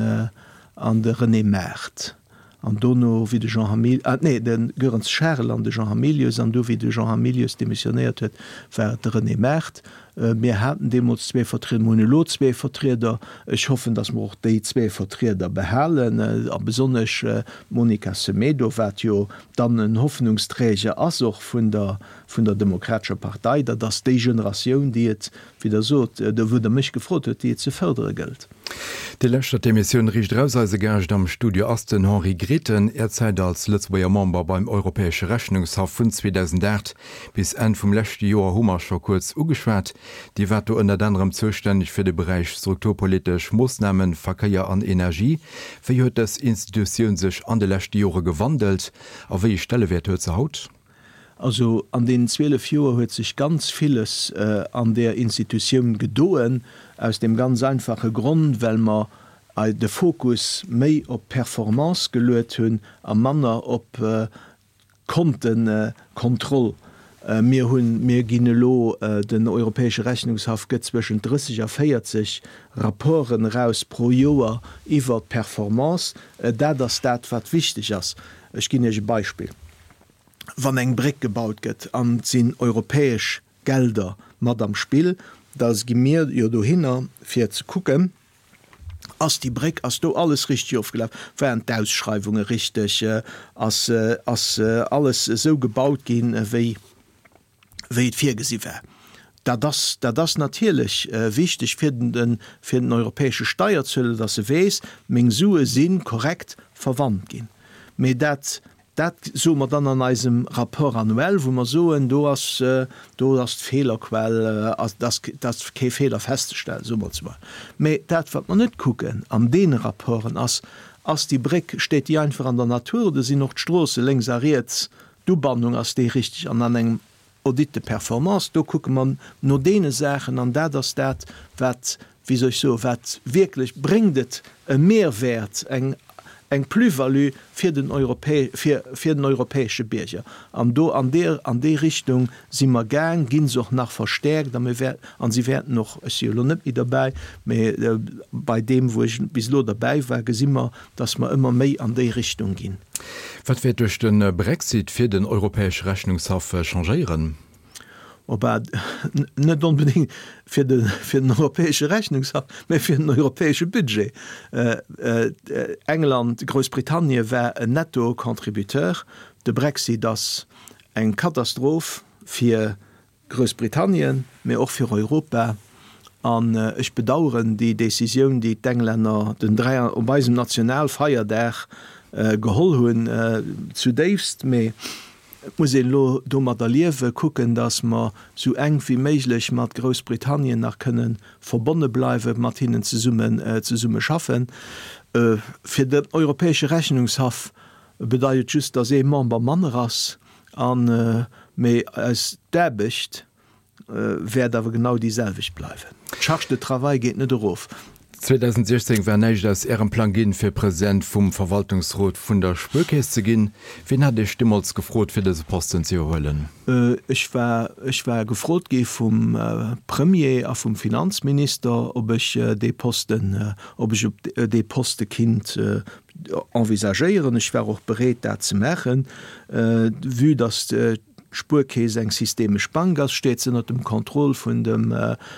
Speaker 2: an de René Maart. An dono, wéi de Jean Hamil, ah nee, de Goerens Charel an de Jean Hamilius, an du wéi de Jean Hamilius demissionéiert huet, war et de René Maart. Mir haten deemools zwee Vertrieder, mir hunn elo zwee Vertrieder. Ech hoffen, datt mer och déi zwee Vertrieder behalen, a besonnesch d'Monica Semedo, wat jo dann en Hoffnungsträger ass och vun der, vun der Demokratescher Partei. Dat ass déi Generatioun, déi et, wéi Der sot, wou Der mech gefrot huet, déi et ze fërdere gëllt.
Speaker 1: Dir lauschtert d'Emissioun Riicht Eraus. Eise Gaascht am Studio ass den Henri Grethen. Är Zäit als Lëtzebuerger Member beim Europäesche Rechnungshaff vun 2008 bis Enn vum leschte Joer hu mer scho kuerz ugeschwat. Dir waart do ënnert anerem zoustänneg fir de Beräich strukturpolitesch Moossnamen, Verkéier an Energie. Wéi huet dës Institutioun sech an de leschte Jore gewandelt a wéi ee Stellewäert huet se haut?
Speaker 2: Also an deenen 12 Joer huet sech ganz villes an där Institutioun gedoen, aus deem ganz einfache Grond, well mer de Fokus méi op d'Performance geluet hunn a manner op d'Kontekontroll. Mir hunn, mir ginn elo, den Europäesche Rechnungshaff gëtt zwëschent 30 a 40 Rapporten eraus pro Joer iwwert d'Performance. Dat ass dat, wat wichteg ass. Ech ginn Iech e Beispill. Wann eng Bréck gebaut gëtt an et sinn europäesch Gelder mat am Spill, da gi mir jo dohinner fir ze kucken, ass déi Bréck, ass do alles richteg ofgelaf, waren d'Ausschreiwunge richteg, ass ass alles esou gebaut ginn, wéi wéi et virgesi war. Dat ass, dat ass natierlech wichteg fir den, fir den europäesche Steierzueler, dass e weess, meng Sue si korrekt verwannt ginn. Mee dat, dat soe mer dann an eisem Rapport annuel, wou mer soen, do ass, do ass d'Feelerquell, ass, ass kee Feeler festzestellen, soe mer zwar. Mee dat, wat mer net kucken an deene Rapporten, ass, ass déi Bréck, steet déi einfach an der Natur oder sinn och d'Stroosse lénks a riets D'Ubannung, ass déi richteg? An an engem Audit de performance, do kucke mer no deene Saachen an dat ass dat, wat, wéi soll ech soen, wat wierklech, bréngt et e Mehrwäert, eng, eng Plus-value fir den Europä, fir, fir den europäesche Bierger. An do an deer, an déi Richtung si mer gaang, gi se och nach verstäerkt a mir wäer, an si wäerten och, ech si jo elo net méi derbäi, mä bei deem, wou ech bis elo derbäi war, gesi mer, dass mer ëmmer méi an déi Richtung ginn.
Speaker 1: Wat wäert duerch de Brexit fir den Europäesche Rechnungshaff changéieren?
Speaker 2: Oh bah, net onbedéngt fir de, fir den Europäesche Rechnungshaff, mä fir den europäesche Budget. England, Groussbritannien war en Netto-Contributeur. De Brexit ass eng Katastroph fir Groussbritannien, mee och fir Europa. An ech bedauern déi Décisioun, déi d'Englänner den 3 op eisem Nationalfeierdag geholl hunn, zudéifst. Mee et muss een elo domadder liewen, kucken, datt mer esou enk wéi méiglech mat Groussbritannien nach kënne verbonne bleiwen, mat hinnen zesummen zesumme schaffen. Fir den Europäesche Rechnungshaff bedeit et just, datt ee Member manner ass. An, mee eis d'Aarbecht wäert awer genau déi selwecht bleiwen. D'Charge de travail geet net erof.
Speaker 1: 2016 war näischt aus Ärem Plang ginn, fir President vum Verwaltungsrot vun der Spuerkeess ze ginn. Wien hat Iech deemools gefrot, fir dëse Posten ze iwwerhuelen?
Speaker 2: Ech war, ech war gefrot gi vum Premier a vum Finanzminister, ob ech dee Posten, ob ech op dee Poste kinnt envisagéieren. Ech war och bereet, dat ze maachen. Vue dass d'Spuerkeess eng systemesch Bank ass, steet se ënnert dem Contrôle vun dem,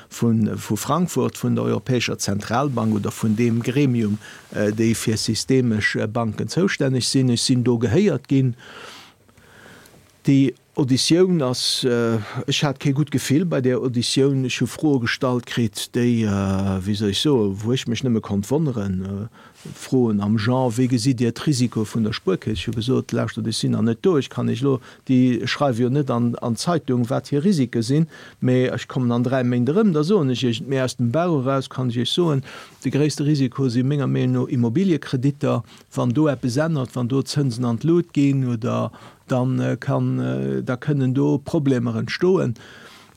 Speaker 2: vu Frankfurt, vun der Europäescher Zentralbank oder vun deem Gremium, déi fir systemesch Banken zoustänneg sinn. Ech sinn do gehéiert ginn. Déi Auditioun ass, ech hat kee gutt Gefill bei där Auditioun. Ech hu Froe gestallt kritt, déi, wéi soll ech soen, wou ech mech nëmme konnt wonneren. Froen am Genre, Wéi gesitt Dir d'Risikoe vun der Spuerkeess? Ech hu gesot, Lauschtert, ech sinn nach net do, ech kann Iech elo, déi schreiwe jo net an d'Zeitung, wat hir Risike sinn, mee ech kommen an 3 Méint erëm, da soen ech Iech et. Mee aus dem Bauch eraus kann ech Iech soen, de gréisste Risiko si menger Meenung no Immobiliekreditter. Wann do eppes ännert, wann do d'Zënsen an d'Lut ginn oder dann kann, da kënnen do Problemer entstoen.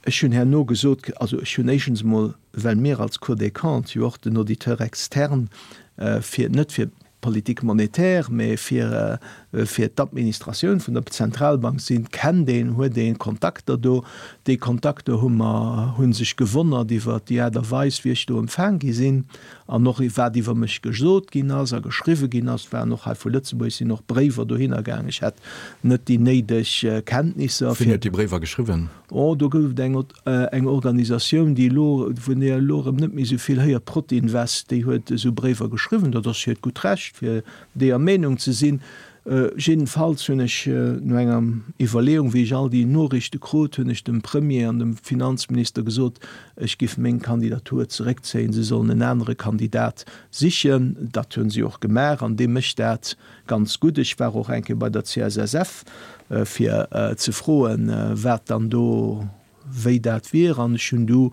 Speaker 2: Ech hunn herno gesot, also ech hunn éischtens emol, well mir als Cour des Comptes jo och den Auditeur externe fir, net fir. d'Politique monétaire, mä fir fir d'Administratioun vun der Zentralbank sinn, kennt een, huet ee Kontakter do. Déi Kontakter hu mer, hu sech gewonnert iwwert déi Aart a Weis, wéi ech do empfaang gi sinn an och wat iwwer mech gesot ginn ass a geschriwwe ginn ass. Et waren och hei vu Lëtzebuerg sinn och Bréiwer dohinner gaang. Ech hätt net déi néideg Kenntnisser
Speaker 1: fir. Wien huet déi Bréiwer geschriwwen?
Speaker 2: Oh, do gouf et eng eng Organisatioun, déi elo, vun där elo erëm net méi esou vill héiert, Protinvest, déi huet esou Bréiwer geschriwwen. Dat ass hiert gutt Recht, fir deeër Meenung ze sinn. Jiddefalls hunn ech no enger Iwwerleeung, wéi ech all déi Noriichte krut, hunn ech dem Premier an dem Finanzminister gesot, ech giff meng Kandidatur zeréckzéien, se sollen en anere Kandidat sichen. Dat hunn si och gemaach an dee mécht dat ganz gutt. Ech war och eng Kéier bei der CSSF, fir ze froen, wat dann do, wéi dat wier, an ech hunn du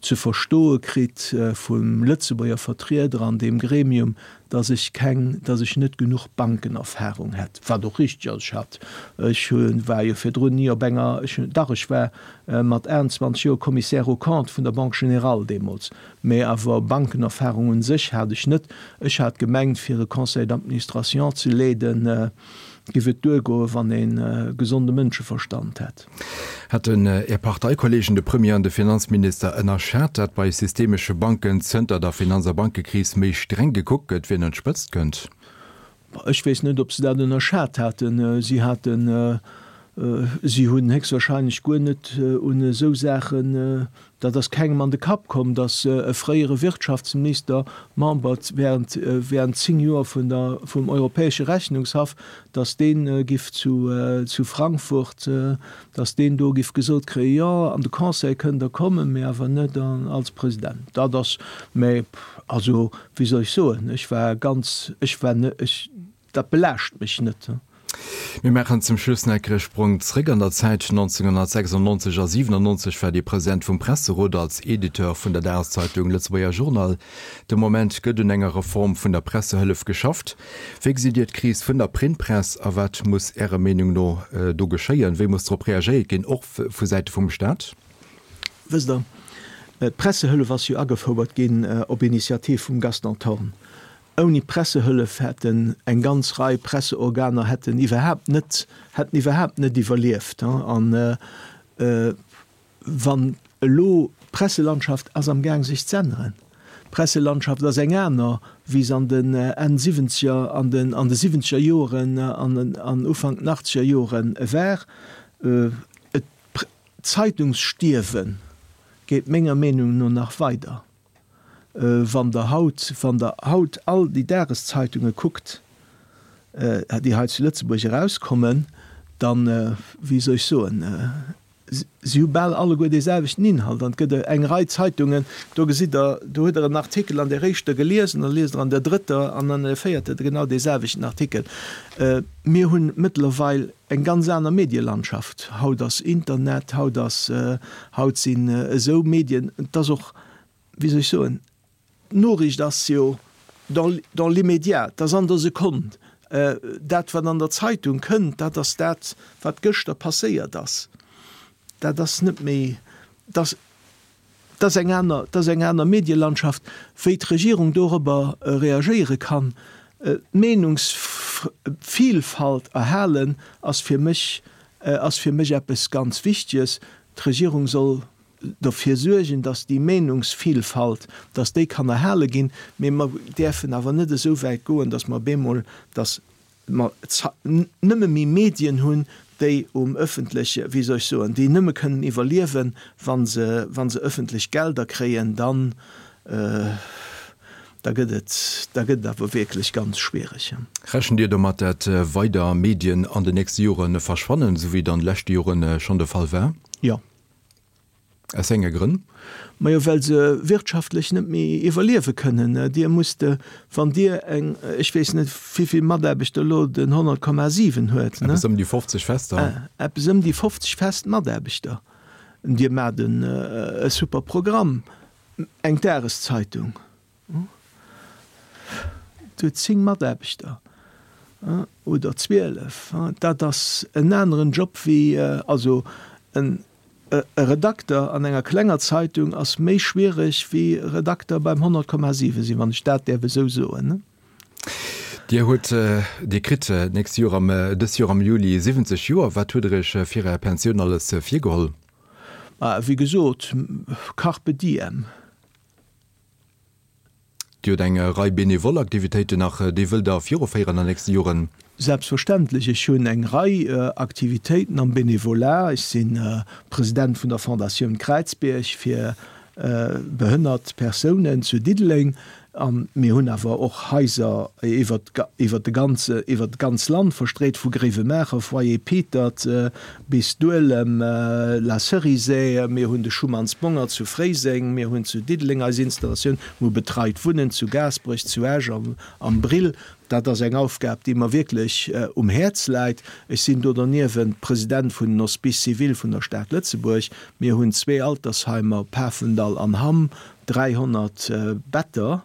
Speaker 2: ze verstoe kritt vum Lëtzebuerger Vertrieder an deem Gremium, datt ech keng, datt ech net genuch Bankenerfahrung hätt, wat och richteg ass. Ech hat, ech hu war jo virdrun ni op enger, ech hunn, dach ech war mat 21 Joer Commissaire aux comptes vun der Banque Générale deemools, mä awer Bankenerfahrung un sech hat ech net. Ech hat gemengt, fir e Conseil d'administration ze leeden, Giff et duergoen, wann een gesonde Mënscheverstand hätt?
Speaker 1: Hätten Är Parteikollegen, de Premier an de Finanzminister, ënnerschat, dat bei systemesche Banken zënter der Finanz a Bankekris méi streng gekuckt gëtt, wien un d'Spëtzt kënnt?
Speaker 2: Ech weess net, ob se dat ënnerschat haten. Si haten, si hunn héchstwahrscheinlech guer net un esou Saachen Dat ass kengem an de Kapp komm, datt e fréiere Wirtschaftsminister, Member während während 10 Joer vun der vum Europäesche Rechnungshaff, datt dee giff zu zu Frankfurt, datt deen do giff gesot kréien, jo, an de Conseil kënnt Der kommen, mee awer net als President. Dat ass, mä also, wéi soll ech soen, ech war ganz, ech war net, ech, Dat belaascht mech net.
Speaker 1: Mir maachen zum Schluss nach e Sprong zréck an der Zäit. 1996 a 97 war Dir President vum Presserot als Editeur vun der Dageszeitung Lëtzebuerger Journal. De Moment gëtt un enger Reform vun der Pressehëllef geschafft. Wéi gesitt Dir d'Kris vun der Printpress a wat muss Ärer Meenung no do geschéien? Wéi muss drop reagéiert ginn, och vu Säite vum Staat?
Speaker 2: Wësst Der, d'Pressehëllef ass jo agefouert ginn op Initiativ vum Gaston Thorn. Ouni d'Pressehëllef hätten eng ganz Rei Presseorganer hätten iwwerhaapt net, hätten iwwerhaapt net iwwerlieft. An wann elo, d'Presselandschaft ass am Gaang sech z'änneren. D'Presselandschaft ass eng aner, wéi se an den Enn Siwwenzeger, an den, an de Siwwenzeger Joren an an Ufank den Achtzeger Jore war. Et, d'Zeitungsstierwe geet menger Meenung no nach weider. Wann Der haut, wann Der haut all déi Dageszeitunge kuckt, déi hei zu Lëtzebuerg erauskommen, dann, wéi soll ech soen, si hu bal alleguer dee selwechten Inhalt. An et gëtt eng Rei Zeitungen, do gesitt Der, do hutt Der en Artikel an där éischter gelies an da liest Der an der drëtter an an der véierter genau dee selwechten Artikel. Mir hunn mëttlerweil eng ganz aner Medielandschaft. Haut ass Internet, haut ass, haut sinn esou Medien, et ass och, wéi soll ech soen, d'Noriicht ass jo dans, dans l'immédiat, et ass an der Sekonn. Dat, wat an der Zeitung kënnt, dat ass dat, wat gëschter passéiert ass. Dat ass net méi, dat ass, dat ass eng aner, dat ass eng aner Medielandschaft. Wéi d'Regierung dorobber reagéiere kann, d'Meenungsvielfalt erhalen, ass fir mech, ass fir mech eppes ganz Wichtiges. D'Regierung soll derfir suergen, dass déi Meenungsvielfalt, dass déi kann erhale ginn, mee mer däerfen awer net esou wäit goen, dass mer op eemol, dass mer nëmme méi Medien hunn, déi um öffentleche, wéi soll ech soen, déi nëmme kënnen iwwerliewen, wa se, wa se öffentlech Gelder kréien, dann, da gëtt et, da gëtt et awer wierklech ganz schwiereg.
Speaker 1: Rechent Dir domat, dat weider Medien an den nächste Jore verschwannen, esou wéi et an de leschte Jore schonn de Fall war?
Speaker 2: Jo.
Speaker 1: Aus wéi enge Grënn?
Speaker 2: Majo, well se wirtschaftlech net méi iwwerliewe kënnen. Dir musst, wann Dir eng, ech weess net, wéivill Mataarbechter elo den 100,7 huet,
Speaker 1: ne? Eppes ëm déi 50 fester.
Speaker 2: Eppes ëm déi 50 fest Mataarbechter. Dir maacht e super Programm, eng Dageszeitung. Et huet 10 Mataarbechter oder 12. Dat ass en aneren Job wéi, also en Redakter an enger klenger Zeitung ass méi schwiereg wéi Redakter beim 100,7 sinn, wann ech dat däerf esou soen.
Speaker 1: Dir hutt, Dir kritt d'nächst Joer am, dëst Joer am Juli 70 Joer. Wat hutt Der Iech fir Är Pensioun alles virgeholl?
Speaker 2: Ma wéi gesot, Carpe diem.
Speaker 1: Dir hutt eng Rei benevol Aktivitéiten nach, déi wëllt Der viruféieren an nächste Joren?
Speaker 2: Selbstverständlech. Ech hunn eng Rei Aktivitéiten am Benevolat. Ech si President vun der Fondatioun Kräizbierg fir behënnert Persounen zu Diddeleng. A mir hunn awer och Haiser iwwer iwwer de ganze iwwer d'ganz Land verstreet, vu Gréiwemaacher, Foyer Pietert, bis Duelem, La Cerisaie. Mir hunn de Schumann's Bongert zu Fréiseng, mir hunn zu Diddeleng eis Installatioun, mir hu betreit Wunnen zu Gaasperech, zu Esch, am Brill. Dat ass eng Aufgab, déi mer wierklech um Häerz läit. Ech sinn do derniewent President vun den Hospices civils vun der Stad Lëtzebuerg. Mir hunn zwee Altersheimer, Pafendall an Hamm, 300 Better,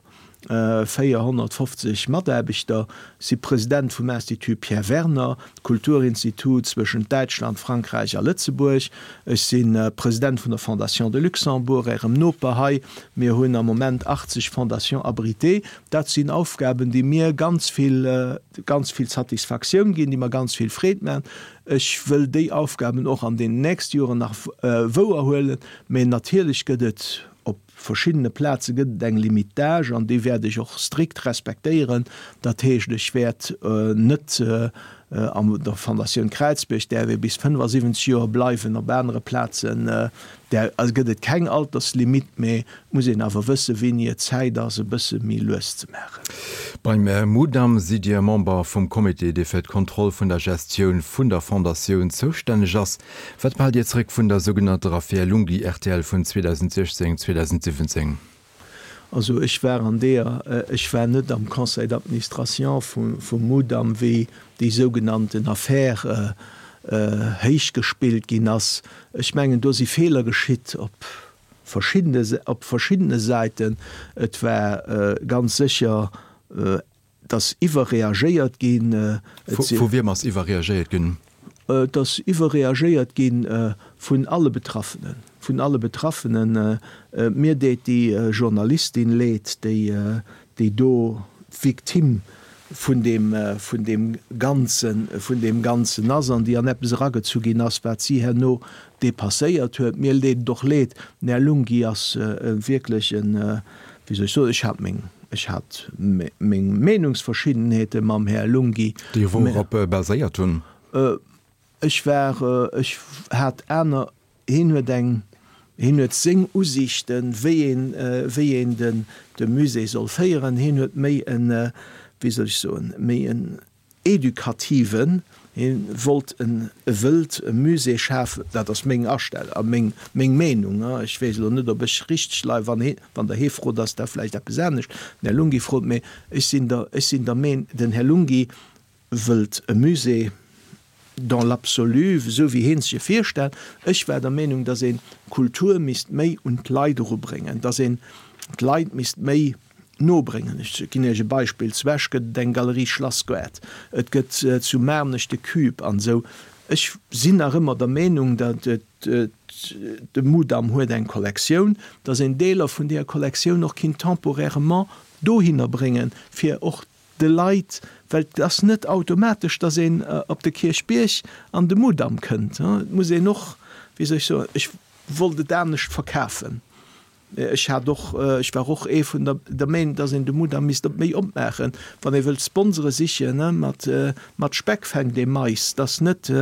Speaker 2: 450 Mataarbechter, si President vum Institut Pierre Werner, Kulturinstitut zwëschent Däitschland, Frankräich a Lëtzebuerg. Ech si President vun der Fondation de Luxembourg, Ärem Noper hei. Mir hunn am Moment 80 Fondations abritées. Dat sinn Aufgaben, déi mir ganz vill, ganz vill Satisfaktioun ginn, déi mer ganz vill Freed maachen. Ech wëll déi Aufgaben och an deenen nächste Joren nach wouerhuelen. Mä natierlech gëtt et op verschiddene Plaze gëtt et eng Limite d'âge an déi wäert ech och strikt respektéieren. Dat heescht, ech wäert net an der Fondatioun Kräizbierg däerf ee bis 75 Joer bleiwen, op anere Plazen där gëtt et keng Alterslimite, mee et muss een awer wëssen, wéini et Zäit ass, e bësse méi lues ze maachen.
Speaker 1: Beim Mudam sidd Dir Member vum Comité, dee fir d'Kontroll vun der Gestioun vun der Fondatioun zoustänneg ass. Wat behaalt Dir zeréck vun der sougenannter Affär Lunghi rtl vun 2016, 2017?
Speaker 2: Also ech war an deeër, ech war net am Conseil d'administration vum Mudam, wéi déi sougenannten Affär héichgespillt ginn ass. Ech mengen, do si Feeler geschitt op verschiddene, op verschiddene Säiten. Et war ganz sécher Et ass iwwerreagéiert ginn.
Speaker 1: Vu wiem ass iwwerreagéiert ginn?
Speaker 2: Et ass iwwerreagéiert gi vun alle Betraffenen. Vun alle Betraffenen. Mir deet déi Journalistin leed, déi do d'Victime vun deem, vun deem Ganzen, vun deem Ganzen ass an déi an eppes eragezu ginn ass, wat si herno dépasséiert huet. Mir deet et och leed. Den Här Lunghi ass wierklech en, wéi soll ech soen, ech hat meng, ech hat meng Meenungsverschiddenheete mam Här Lunghi.
Speaker 1: Déi wourop baséiert hunn?
Speaker 2: Ech war, ech hat aner, hien huet eng, hien huet seng Usiichten, wéi een, wéi een den, de Musée soll féieren. Hien huet méi en, wéi soll ech soen, méi en Edukativen, hie wollt en, e wëllt e Musée schafen, dat ass meng Astell a meng, meng Meenung, ech weess elo net, ob ech richteg leien, wann hie, wann Der hie frot, ass dat vläicht eppes anescht, den Här Lunghi frot, mee ech sinn der, ech sinn der Meen, den Här Lunghi wëllt e Musée dans l'absolu, esou wéi hie sech e virstellt. Ech war der Meenung, datt een d'Kultur misst méi un d'Leit erubréngen, datt een d'Leit misst méi nobréngen. Ech ginn Iech e Beispill, Zu Esch gëtt et eng Galerie Schlassgoart, et gëtt zu Maarnech de Cube an esou. Ech sinn nach ëmmer der Meenung, datt de Mudam huet eng Kollektioun, datt een Deeler vun deeër Kollektioun och kinnt temporairement dohinner bréngen, fir och de Leit, well et ass net automatesch, datt een op de Kierchbierg an de Mudam kënnt. Et muss een och, wéi soll ech soen, ech wollt et anescht verkafen. Ech hat och, ech war och ee vun der der Meenung, dass een de Mudam misst op méi opmaachen, wann ee wëllt Sponsore sichen, mat mat Speck fänkt ee Mais, dass net,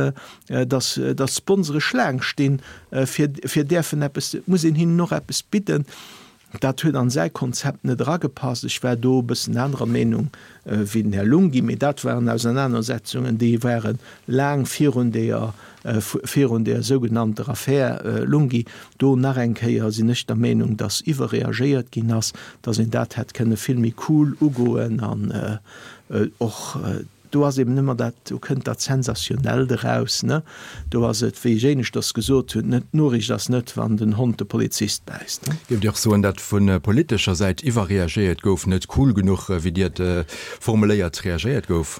Speaker 2: dass dass d'Sponsore Schlaang stinn, fir fir däerfen eppes, et muss een hinnen och eppes bidden. Dat huet an säi Konzept net eragepasst. Ech war do e bëssen anerer Meenung wéi den Här Lunghi, mee dat waren Ausernanersetzungen, déi ware laang virun deeër, virun deeër sougenannter Affär Lunghi. Do nach eng Kéier sinn ech der Meenung, dass iwwerreagéiert ginn ass, dass een dat hätt kënne vill méi cool ugoen an och Do ass eben ëmmer dat, do kënnt dat Sensationellt eraus, ne? Do ass et, wéi ech éineschters gesot hunn, net, d'Noriicht ass net, wann den Hond de Polizist bäisst, ne?
Speaker 1: Géift Dir och soen, datt vu politescher Säit iwwerreagéiert gouf, net cool genuch, wéi Dir et formuléiert, reagéiert gouf?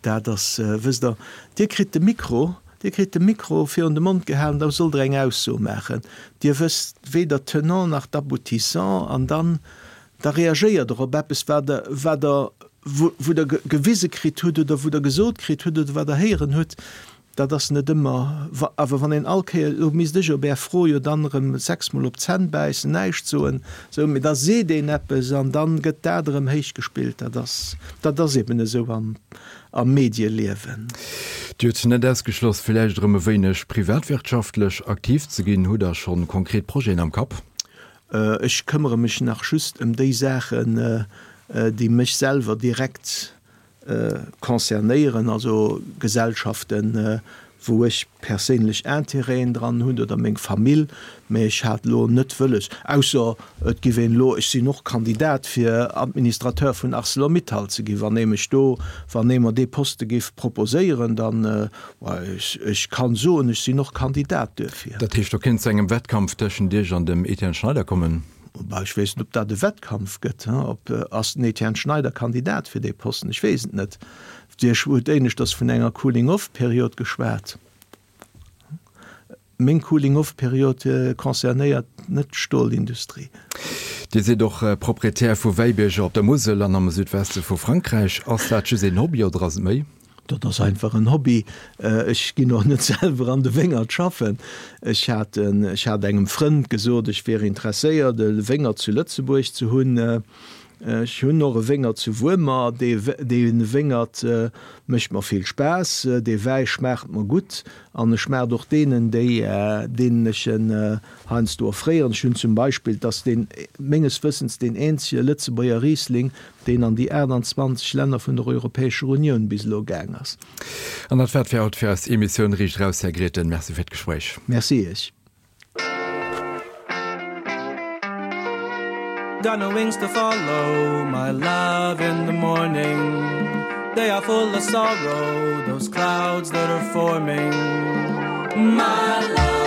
Speaker 2: Dat ass, wësst Der, Dir kritt de Mikro, Dir kritt de Mikro virun de Mond gehalen, da sollt Der eng Ausso maachen. Dir wësst weder d'Tenant nach d'Aboutissant an dann, da reagéiert Der op eppes, wat Der, wat Der. Wou Der gewise kritt hutt oder wou Der gesot kritt hutt oder wat Der héieren hutt, dat ass net ëmmer. Awer wann een all Kéier, elo misst ech op Är Fro jo dann erëm sechsmol op d'Zänn bäissen, näischt soen, esou, mee da seet een eppes an da gëtt dat erëm héichgespillt. Dat ass, dat ass eben esou am, am Medieliewen.
Speaker 1: Dir hutt net ausgeschloss, villäicht erëm e wéineg privatwirtschaftlech aktiv ze ginn. Hutt Der schonn konkret Projeten am Kapp?
Speaker 2: Ech këmmere mech nach just ëm déi Saachen, déi mech selwer direkt concernéieren, also Gesellschaften, wou ech perséinlech Intérêten dran hunn oder meng Famill. Mä ech hat elo net wëlles, ausser et giff een elo, ech sinn och Kandidat fir Administrateur vun Arcelor-Mittal ze ginn, wann ee mech do, wann ee mer dee Poste giff proposéieren, dann, ech kann soen, ech sinn och Kandidat duerfir.
Speaker 1: Dat heescht, do kéint zu engem Wettkampf tëschent Iech an dem Etienne Schneider kommen?
Speaker 2: Bah, ech weess net, ob dat e Wettkampf gëtt. Ob, ass den Etienne Schneider Kandidat fir dee Posten? Ech weess et net. Dir hutt éineschters vun enger Cooling-off-Period geschwat. Meng Cooling-off-Period concernéiert net d'Stolindustrie.
Speaker 1: Dir sidd och Proprietär vu Wäibierger op der Musel an am Südweste vu Frankräich. Ass dat just een Hobby oder ass et méi?
Speaker 2: Dat ass einfach en Hobby. Ech ginn och net selwer an de Wéngert schaffen. Ech hat, ech hat engem Frënd gesot, ech wier interesséiert, e Wéngert zu Lëtzebuerg ze hunn. Ech hunn och e Wéngert zu Wuermer. Dee, dee Wéngert mécht mer vill Spaass. Dee Wäi schmaacht mer gutt an e schmaacht och deenen, déi, deenen ech en heiansdo offréieren. Ech hunn zum Beispill, et ass deen, menges Wëssens deen eenzege Lëtzebuerger Riesling, deen an déi 28 Länner vun der Europäescher Unioun bis elo gaang ass.
Speaker 1: An dat war et fir haut fir eis Emissioun Riicht Eraus. Här Grethen, Merci fir d'Gespréich.
Speaker 2: Merci Iech.
Speaker 3: Got no wings to follow my love in the morning They are full of sorrow those clouds that are forming My love.